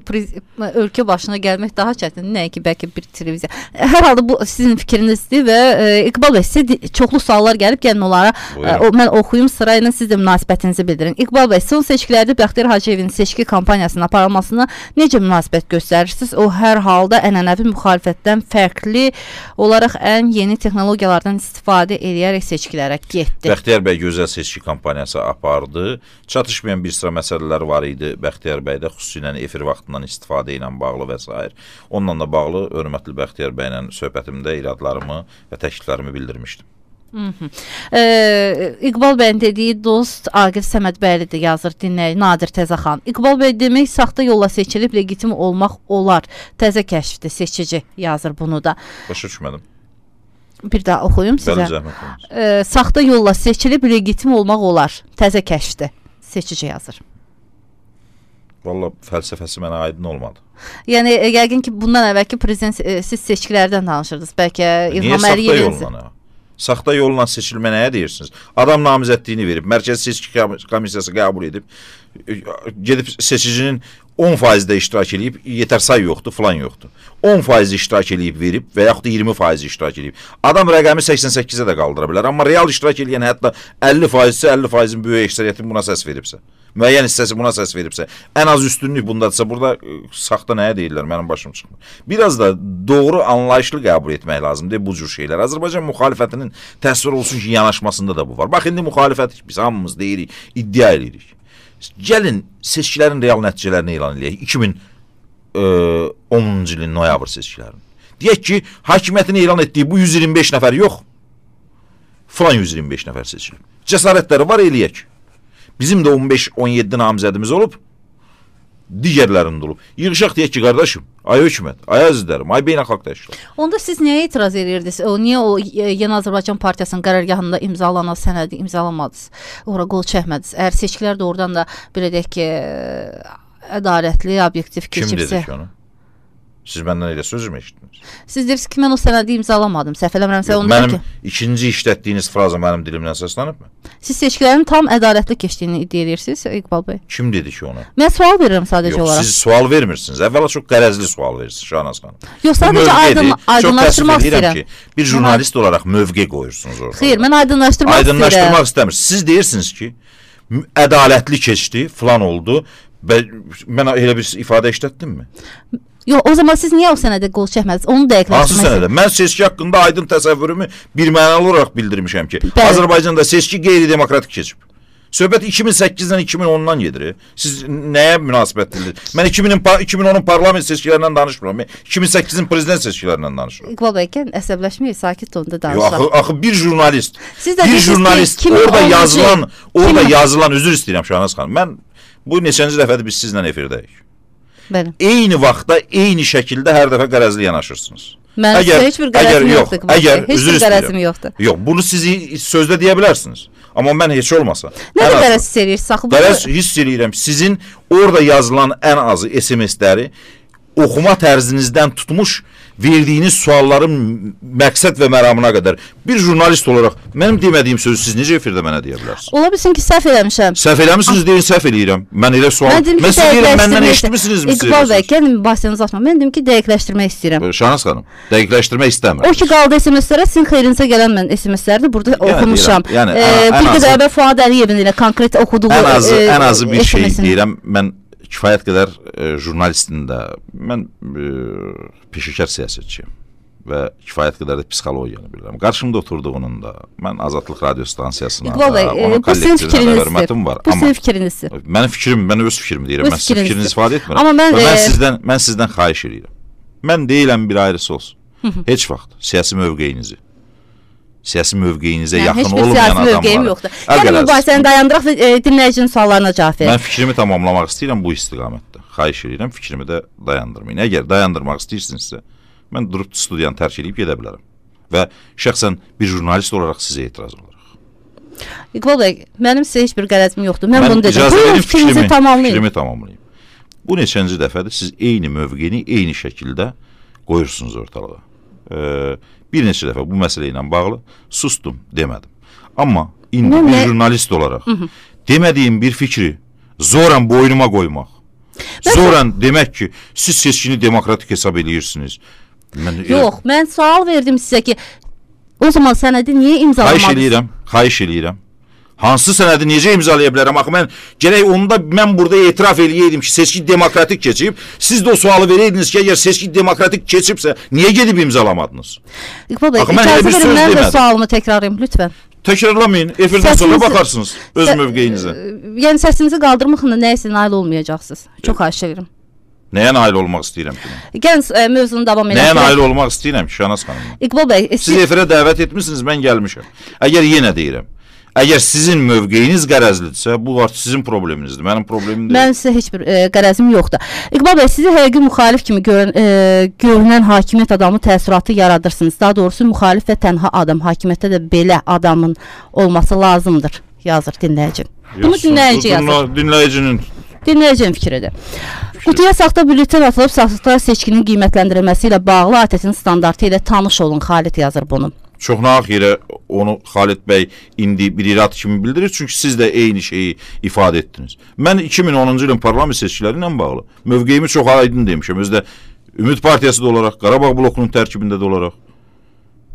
ölkə başına gəlmək daha çətindir, nəyə ki, bəlkə bir televiziya. Hər halda bu sizin fikrinizdir və e, İqbal bəy, sizə çoxlu suallar gəlib, gəlin onlara e, o, mən oxuyum sırayla, siz də münasibətinizi bildirin. İqbal bəy, son seçkilərdə Bəxtiyar Hacıyevin seçki kampanyasının aparılmasına necə münasibət göstərirsiniz? O hər halda ənənəvi müxalifətdən fərqli olaraq ən yeni texnologiyalardan istifadə edərək seçkilərə getdi. Bəxtiyar bəy gözəl seçki kampaniyası apardı. Çatışmayan bir sıra məsələlər var idi Bəxtiyar bəydə, xüsusilə efir vaxtından istifadə ilə bağlı və s. Onunla da bağlı hörmətli Bəxtiyar bəylə söhbətimdə iradlarımı və təkliflərimi bildirmişdim. Hı -hı. Ee, İqbal bəyin dediyi dost Aqif Səmədbəyli də yazır, dinləyici Nadir Təzəxan. İqbal bəy demək saxta yolla seçilib legitim olmaq olar. Təzə kəşfdir, seçici yazır bunu da. Başa düşmədim. Bir daha oxuyum sizə. E, saxta yolla seçilib legitim olmaq olar. Təzə kəşfdir. Seçici yazır. Valla fəlsəfəsi mənə aydın olmadı. Yəni yəqin ki, bundan əvvəlki prezident e, siz seçkilərdən danışırdınız. Bəlkə İlham Əliyevin. Niyə saxta yolla? Saxta yolla seçilmə nəyə deyirsiniz? Adam namizədliyini verib, Mərkəzi Seçki Komissiyası qəbul edib, gedib seçicinin on faizdə iştirak edib, yetər say yoxdur, filan yoxdur. on faiz iştirak edib verib və yaxud da iyirmi faiz iştirak edib. Adam rəqəmi səksən səkkizə də qaldıra bilər, amma real iştirak edən hətta əlli faizsə, əlli faizin böyük əksəriyyətin buna səs veribsə, müəyyən hissəsi buna səs veribsə, ən az üstünlük bundadırsa, burada saxta nəyə deyirlər, mənim başım çıxmır. Biraz da doğru anlayışlı qəbul etmək lazımdır bu cür şeylər. Azərbaycan müxalifətinin təsvir olsun ki, yanaşmasında da bu var. Bax, indi müxalifət biz hamımız deyirik, iddia edirik. Gəlin seçkilərin real nəticələrini elan edək. iki min onuncu ilin noyabr seçkilərini. Deyək ki, hakimiyyətin elan etdiyi bu yüz iyirmi beş nəfər yox, falan yüz iyirmi beş nəfər seçilib. Cəsarətləri var, eləyək. Bizim də on beş on yeddi namizədimiz olub, digərlərində olub. Yığışaq deyək ki, qardaşım, ay hökumət, ay əzizlərim, ay beynəlxalq təşkilat. Onda siz niyə etiraz edirdiniz? O niyə o Yeni Azərbaycan Partiyasının qərargahında imzalanan sənədi imzalamadınız? Ora qol çəkmədiniz. Əgər seçkilər doğrudan da belə deyək ki, ədalətli, obyektiv keçibsə. Kim dedi ki onu? Siz məndən elə söz mü eşitdiniz? Siz deyirsiniz ki, mən o sənədi imzalamadım. Səhv eləmirəmsə onu mənim ki, ikinci işlətdiyiniz fraza mənim dilimdən səslənibmi? siz seçkilərin tam ədalətli keçdiyini iddia edirsiniz, İqbal bəy. Kim dedi ki onu? Mən sual verirəm sadəcə Yox, olaraq. siz sual vermirsiniz. Əvvəla çox qərəzli sual verirsiniz Şahnaz xanım. Yox, sadəcə aydın, aydınlaşdırmaq istəyirəm. Ki, bir jurnalist mən... olaraq mövqe qoyursunuz orada. Xeyr, mən aydınlaşdırmaq istəyirəm. Aydınlaşdırmaq istəmirsiniz. Siz deyirsiniz ki, ədalətli keçdi, falan oldu. Ben, mən elə bir ifadə işlətdim mi? Yox, o zaman siz niyə o sənədə qol çəkmədiniz? Onu dəqiqləşdirmək. Hansı sənədə? Mən seçki haqqında aydın təsəvvürümü bir mənalı olaraq bildirmişəm ki, Bəli. Azərbaycanda seçki qeyri-demokratik keçib. Söhbət iki min səkkizdən iki min ondan gedir. Siz nəyə münasibətlidir? Mən iki min onun parlament seçkilərindən danışmıram. iki min səkkizin prezident seçkilərindən danışıram. İqbal bəy, əsəbləşməyin, sakit tonda Yox, danışaq. axı, axı bir jurnalist, Siz də bir dediniz ki, jurnalist iki min orada onuncu yazılan, orada iki min yazılan, üzr istəyirəm Şahnaz xanım. Mən bu neçənci dəfədir biz sizlə efirdəyik. Bəli. Eyni vaxtda, eyni şəkildə hər dəfə qərəzli yanaşırsınız. Mən sizə heç bir qərəzim yoxdur. Əgər, Heç üzr bir qərəzim istəyirəm. yoxdur. Yox, bunu siz sözdə deyə bilərsiniz. Amma mən heç olmasa. Nə qədər hiss edirsiniz? Saxı Qərəz hiss edirəm. Sizin orada yazılan ən azı S M S-ləri oxuma tərzinizdən tutmuş verdiyiniz sualların məqsəd və məramına qədər bir jurnalist olaraq mənim demədiyim sözü siz necə efirdə mənə deyə bilərsiniz? Ola bilsin ki, səhv eləmişəm. Səhv eləmişsiniz deyin, səhv eləyirəm. Mən elə sual. Mən, mən sizə deyirəm, məndən eşitmisinizmi? İqbal bəy, gəlin mübahisənizi açma. Mən dedim ki, dəqiqləşdirmək istəyirəm. Şahnaz xanım, dəqiqləşdirmək istəmirəm. O ki, qaldı S M S-lərə, sizin xeyrinizə gələn mən S M S-lərdə burada yəni, oxumuşam. Yəni, ee, ən, bir ən qədər əvvəl Fuad Əliyevin ilə konkret oxuduğu ən azı, e, ən azı bir şey S M S-ini. deyirəm. Mən kifayət qədər e, jurnalistin də, mən e, peşəkar siyasətçiyim və kifayət qədər də psixologiyanı bilirəm. Qarşımda oturduğunun da, mən Azadlıq radio stansiyasına İqbal bəy, da, onun bu sizin kollektivinə də hörmətim var. Bu sizin fikrinizdir. Mənim fikrim, mən öz fikrimi deyirəm, Öz mən sizin fikrinizi ifadə etmirəm. Amma mən, və mən, e... sizdən, mən sizdən xahiş edirəm. Mən deyiləm bir ayrısı olsun. Heç vaxt siyasi mövqeyinizi, siyasi mövqeyinizə yəni, yaxın olmayan adamlara. Heç bir siyasi mövqeyim yoxdur. Yəni mübahisəni dayandıraq və e, dinləyicinin suallarına cavab verin. Mən fikrimi tamamlamaq istəyirəm bu istiqamətdə. Xahiş edirəm, fikrimi də dayandırmayın. Əgər dayandırmaq istəyirsinizsə, mən durub studiyanı tərk edib gedə bilərəm. Və şəxsən bir jurnalist olaraq sizə etiraz olaraq. İqbal bəy, mənim sizə heç bir qərəzim yoxdur. Mən, mən bunu dedim. Buyurun, fikrinizi fikrimi, tamamlayın. Fikrimi tamamlayın. Bu neçənci dəfədir siz eyni mövqeni, eyni şəkildə qoyursunuz ortalığa. Ee, bir neçə dəfə bu məsələ ilə bağlı sustum, demədim. Amma indi Nə, bir nə? jurnalist olaraq Hı -hı. demədiyim bir fikri zoran boynuma qoymaq, Mən zoran demək ki, siz seçkini demokratik hesab edirsiniz. Mən Yox, elə... mən sual verdim sizə ki, o zaman sənədi niyə imzalamadınız? Xahiş eləyirəm, xahiş eləyirəm. Hansı sənədi necə imzalaya bilərəm? Axı mən gərək onu da mən burada etiraf eləyəydim ki, seçki demokratik keçib. Siz də o sualı verəydiniz ki, əgər seçki demokratik keçibsə, niyə gedib imzalamadınız? İqbal bəy, Axı mən elə bir icazə söz verin, mən də demədim. sualımı təkrarlayım, lütfən. Təkrarlamayın, efirdən Səsinizi- sonra baxarsınız öz Sə- mövqeyinizə. Yəni səsinizi qaldırmaqla nəyisə nail olmayacaqsınız. Çox xahiş edirəm. Nəyə nail olmaq istəyirəm ki? Gəlin e, mövzunu davam edək. Nəyə nail olmaq istəyirəm ki, Şahnaz xanım? İqbal bəy, Siz siz efirə dəvət etmişsiniz, mən gəlmişəm. Əgər yenə deyirəm, əgər sizin mövqeyiniz qərəzlidirsə, bu artıq sizin probleminizdir, mənim problemim deyil. Mən sizə heç bir e, qərəzim yoxdur. İqbal bəy, sizi həqiqi müxalif kimi görün, e, görünən hakimiyyət adamı təəssüratı yaradırsınız. Daha doğrusu müxalif və tənha adam. Hakimiyyətdə də belə adamın olması lazımdır, yazır dinləyici. Bunu dinləyici yazır. Dinləyicinin Dinləyicinin fikridir. Qutuya saxta bülletin atılıb saxta seçkinin qiymətləndirilməsi ilə bağlı A T S-in standartı ilə tanış olun. Xalid yazır bunu. çox nahaq yerə onu Xalid bəy indi bir irad kimi bildirir. Çünki siz də eyni şeyi ifadə etdiniz. Mən iki min onuncu ilin parlament seçkiləri ilə bağlı mövqeyimi çox aydın demişəm. Özdə Ümid Partiyası da olaraq, Qarabağ blokunun tərkibində də olaraq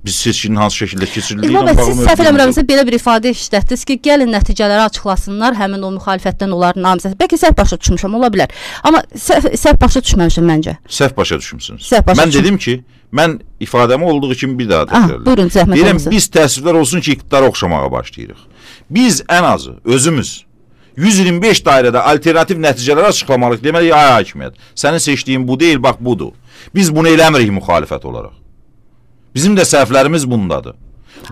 biz seçkinin hansı şəkildə keçirildiyi ilə İqbal bəy, bağlı siz səhv eləmirəmsə belə bir ifadə işlətdiniz ki, gəlin nəticələri açıqlasınlar, həmin o müxalifətdən onların namizədi. Bəlkə səhv başa düşmüşəm, ola bilər. Amma səhv, səhv başa düşməmişəm məncə. Səhv başa düşmüsünüz. Səhv başa mən düşmüşəm. dedim ki, mən ifadəmi olduğu kimi bir daha Ah, təkrarlayım. buyurun, zəhmət Deyirəm, olmasa. biz təəssüflər olsun ki, iqtidara oxşamağa başlayırıq. Biz ən azı özümüz yüz iyirmi beş dairədə alternativ nəticələr açıqlamalıyıq. Deməli, ay hakimiyyət, sənin seçdiyin bu deyil, bax budur. Biz bunu eləmirik müxalifət olaraq. Bizim də səhvlərimiz bundadır.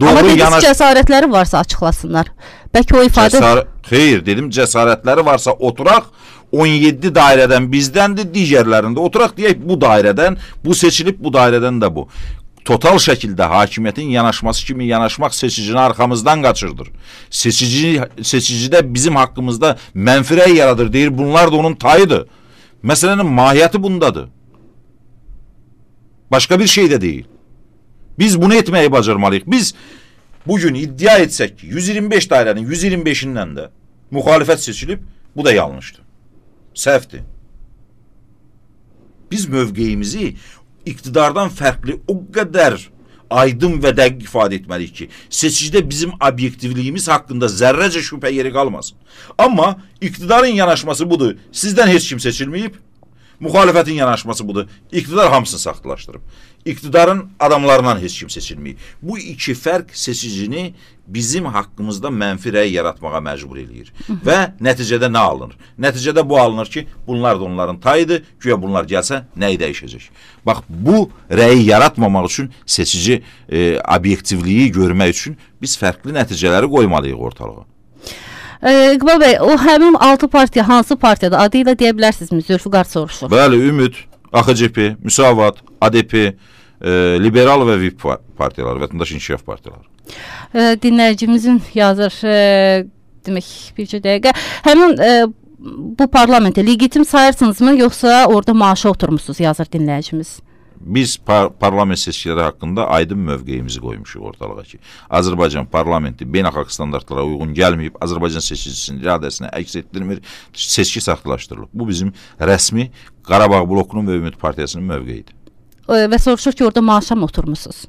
Amma dediniz yanaş... cəsarətləri varsa açıqlasınlar. Bəlkə o ifadə... Cəsar... Xeyr, dedim cəsarətləri varsa oturaq, on yeddi dairədən bizdəndir, digərlərində oturaq deyək, bu dairədən, bu seçilib, bu dairədən də bu. Total şəkildə hakimiyyətin yanaşması kimi yanaşmaq seçicini arxamızdan qaçırdır. Seçici, seçicidə bizim haqqımızda mənfi rəy yaradır, deyir, bunlar da onun tayıdır. Məsələnin mahiyyəti bundadır. Başqa bir şey də deyil. Biz bunu etməyi bacarmalıyıq. Biz bugün iddia etsək ki, yüz iyirmi beş dairənin yüz iyirmi beşindən də müxalifət seçilib, bu da yanlışdır. Səhvdir. Biz mövqeyimizi iqtidardan fərqli o qədər aydın və dəqiq ifadə etməliyik ki, seçicidə bizim obyektivliyimiz haqqında zərrəcə şübhə yeri qalmasın. Amma iqtidarın yanaşması budur, sizdən heç kim seçilməyib, müxalifətin yanaşması budur, iqtidar hamısını saxtalaşdırıb. İqtidarın adamlarından heç kim seçilməyib. Bu iki fərq seçicini bizim haqqımızda mənfi rəy yaratmağa məcbur eləyir. Və nəticədə nə alınır? Nəticədə bu alınır ki, bunlar da onların tayıdır, güya bunlar gəlsə nəyi dəyişəcək? Bax, bu rəyi yaratmamaq üçün seçici e, obyektivliyi görmək üçün biz fərqli nəticələri qoymalıyıq ortalığa. E, İqbal bəy, o həmin altı partiya hansı partiyada adı ilə deyə bilərsinizmi? Zülfüqar soruşur. Bəli, Ümid, A X C P, Müsavat, A D P, e, Liberal və V İ P partiyaları, Vətəndaş İnkişaf partiyaları. E, dinləyicimizin yazır, e, demək bircə dəqiqə, həmin e, bu parlamentə legitim sayırsınızmı, yoxsa orada maaşa oturmuşsunuz, yazır dinləyicimiz? Biz par parlament seçkiləri haqqında aydın mövqeyimizi qoymuşuq ortalığa ki, Azərbaycan parlamenti beynəlxalq standartlara uyğun gəlməyib, Azərbaycan seçicisinin iradəsini əks etdirmir, seçki saxtalaşdırılıb. Bu bizim rəsmi Qarabağ blokunun və Ümid partiyasının mövqeyidir. Və soruşur ki, orada maaşa mı oturmuşsunuz?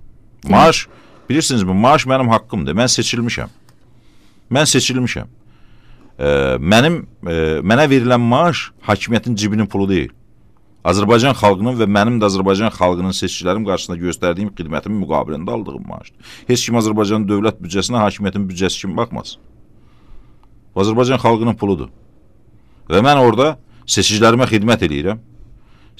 Maaş, bilirsinizmi, maaş mənim haqqımdır, mən seçilmişəm. Mən seçilmişəm. E, mənim, e, mənə verilən maaş hakimiyyətin cibinin pulu deyil. Azərbaycan xalqının və mənim də Azərbaycan xalqının seçkilərim qarşısında göstərdiyim xidmətin müqabilində aldığım maaşdır. Heç kim Azərbaycanın dövlət büdcəsinə hakimiyyətin büdcəsi kimi baxmaz. Azərbaycan xalqının puludur. Və mən orada seçicilərimə xidmət edirəm.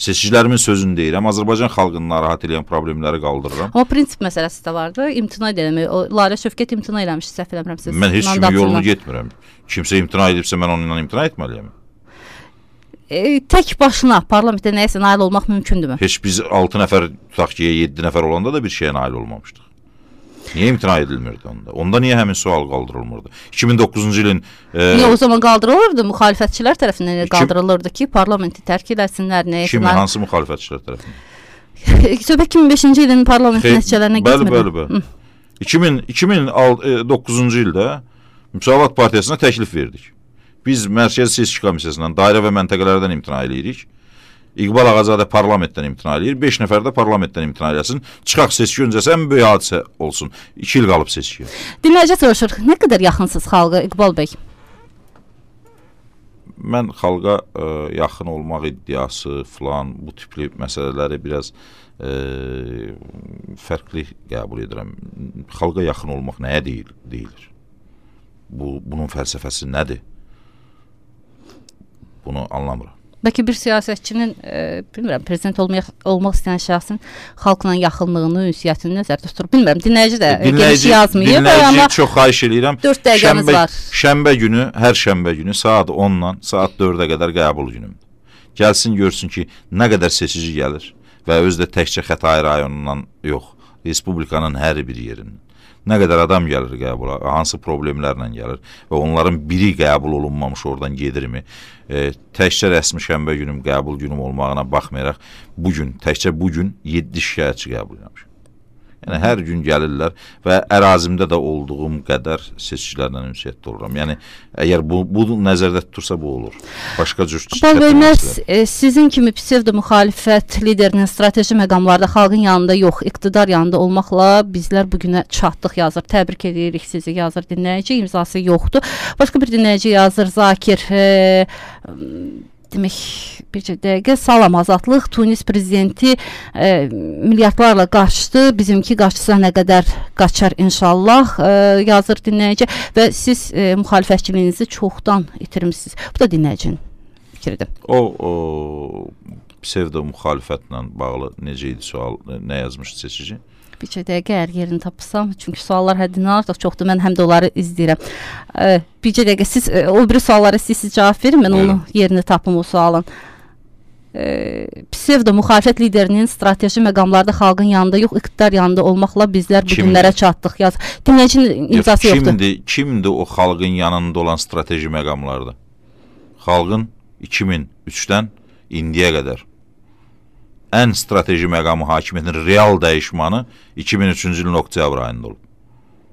Seçicilərimin sözünü deyirəm. Azərbaycan xalqını narahat edən problemləri qaldırıram. Amma prinsip məsələsi də vardı. İmtina edilmək. O Lalə Şövkət imtina eləmiş, səhv eləmirəmsə. Mən heç kimin yolunu getmirəm. Kimsə imtina edibsə mən onunla imtina etməliyəm. E, tək başına parlamentdə nəyəsə nail olmaq mümkündürmü? Heç biz altı nəfər, tutaq ki, yeddi nəfər olanda da bir şeyə nail olmamışdıq. Niyə imtina edilmirdi onda? Onda niyə həmin sual qaldırılmırdı? iki min doqquzuncu ilin... E, niyə o zaman qaldırılırdı? Müxalifətçilər tərəfindən qaldırılırdı ki, parlamenti tərk eləsinlər. Kim, nail... hansı müxalifətçilər tərəfindən? Söhbət iki min beşinci ilin parlamenti nəticələrinə getmirdi. Bəli, bəli, bəli. iki min doqquzuncu ildə Müsavat Partiyasına təklif verdik. Biz Mərkəzi Seçki Komissiyasından, dairə və məntəqələrdən imtina edirik. İqbal Ağazadə parlamentdən imtina edir. beş nəfər də parlamentdən imtina eləsin. Çıxaq seçki öncəsi ən böyük hadisə olsun. iki il qalıb seçkiyə. Dinləyici soruşur, nə qədər yaxınsınız xalqa, İqbal bəy? Mən xalqa ə, yaxın olmaq iddiası falan, bu tipli məsələləri biraz ə, fərqli qəbul edirəm. Xalqa yaxın olmaq nəyə deyil, deyilir? Bu, bunun fəlsəfəsi nədir? Bunu anlamıram. Bəlkə bir siyasətçinin, e, bilmirəm, prezident olmaq, olmaq istəyən şəxsin xalqla yaxınlığını, ünsiyyətini nəzərdə tutur. Bilmirəm, dinləyici də geniş yazmayıb. Dinləyici çox xahiş edirəm. dörd dəqiqəmiz şənbə, var. Şənbə günü, hər şənbə günü saat ondan saat dördə qədər qəbul günümdür. Gəlsin, görsün ki, nə qədər seçici gəlir və özü də təkcə Xətai rayonundan yox, Respublikanın hər bir yerindən. Nə qədər adam gəlir qəbula, hansı problemlərlə gəlir və onların biri qəbul olunmamış oradan gedirmi? E, təkcə rəsmi şənbə günüm, qəbul günüm olmağına baxmayaraq, bugün, təkcə bugün yeddi şikayətçi qəbul eləmişəm. Yəni, hər gün gəlirlər və ərazimdə də olduğum qədər seçicilərlə ünsiyyətdə oluram. Yəni, əgər bu, bu nəzərdə tutursa bu olur. Başqa cür çətinliklər. E, sizin kimi psevdo-müxalifət liderinin strateji məqamlarda xalqın yanında yox, iqtidar yanında olmaqla bizlər bugünə çatdıq, yazır. Təbrik edirik sizi, yazır dinləyici, imzası yoxdur. Başqa bir dinləyici yazır, Zakir, e, demək, bircə dəqiqə, salam azadlıq, Tunis prezidenti e, milyardlarla qaçdı, bizimki qaçsa nə qədər qaçar inşallah, e, yazır dinləyici və siz e, müxalifətçiliyinizi çoxdan itirmişsiniz. Bu da dinləyicinin fikridir. O, o psevdo müxalifətlə bağlı necə idi sual, nə yazmışdı seçici? Bircə dəqiqə əgər yerini tapsam, çünki suallar həddindən artıq çoxdur, mən həm də onları izləyirəm. E, bircə dəqiqə, siz e, o biri suallara siz, siz cavab verin, mən onu yerini tapım o sualın. E, psevdo müxalifət liderinin strateji məqamlarda xalqın yanında yox, iqtidar yanında olmaqla bizlər bu günlərə çatdıq. Yaz. Dinləyicinin imzası yox, yoxdur. Kimdir, kimdir o xalqın yanında olan strateji məqamlarda? Xalqın iki min üçdən indiyə qədər ən strateji məqamı hakimiyyətin real dəyişmanı iki min üçüncü ilin oktyabr ayında olub.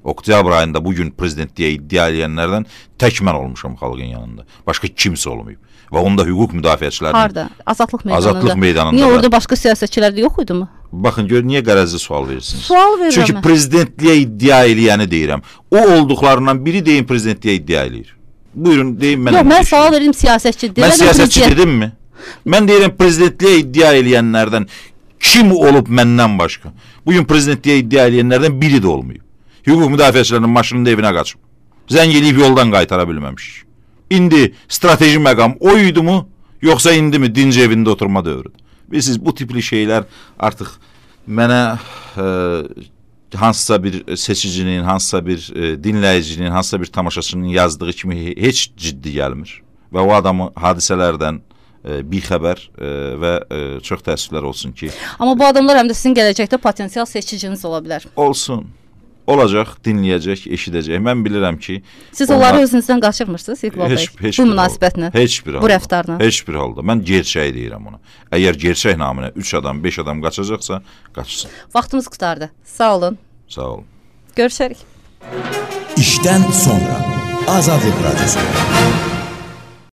Oktyabr ayında bugün prezidentliyə iddia edənlərdən tək mən olmuşam xalqın yanında. Başqa kimsə olmayıb. Və onda hüquq müdafiəçilərinin... Harada? Azadlıq meydanında. Azadlıq meydanında. Niyə orada başqa siyasətçilər də yox idi mi? Baxın, gör, niyə qərəzli sual verirsiniz? Sual verirəm. Çünki prezidentliyə iddia eləyəni deyirəm. O olduqlarından biri deyin prezidentliyə iddia eləyir. Buyurun, deyin mən. Yox, mən sual verim siyasətçi. Mən siyasətçi dedim mi? Mən deyirəm prezidentliyə iddia eləyənlərdən kim olub məndən başqa? Bugün prezidentliyə iddia eləyənlərdən biri də olmayıb. Hüquq müdafiəçilərinin maşınında evinə qaçıb. Zəng eləyib yoldan qaytara bilməmişik. İndi strateji məqam o idi mu? Yoxsa indi mi dinc evində oturma dövrüdür? Bilirsiniz, bu tipli şeylər artıq mənə e, hansısa bir seçicinin, hansısa bir e, dinləyicinin, hansısa bir tamaşaçının yazdığı kimi heç ciddi gəlmir. Və o adamı hadisələrdən e, bixəbər e, və e, çox təəssüflər olsun ki... Amma bu adamlar həm də sizin gələcəkdə potensial seçiciniz ola bilər. Olsun. Olacaq, dinləyəcək, eşidəcək. Mən bilirəm ki... Siz onlar... onları özünüzdən qaçırmırsınız İqbal bəy? Bu münasibətlə, heç bir halda, bu rəftarla? Heç bir halda. Mən gerçək deyirəm ona. Əgər gerçək naminə üç adam, beş adam qaçacaqsa, qaçsın. Vaxtımız qutardı. Sağ olun. Sağ olun. Görüşərik. İşdən sonra Azadlıq Radyosu.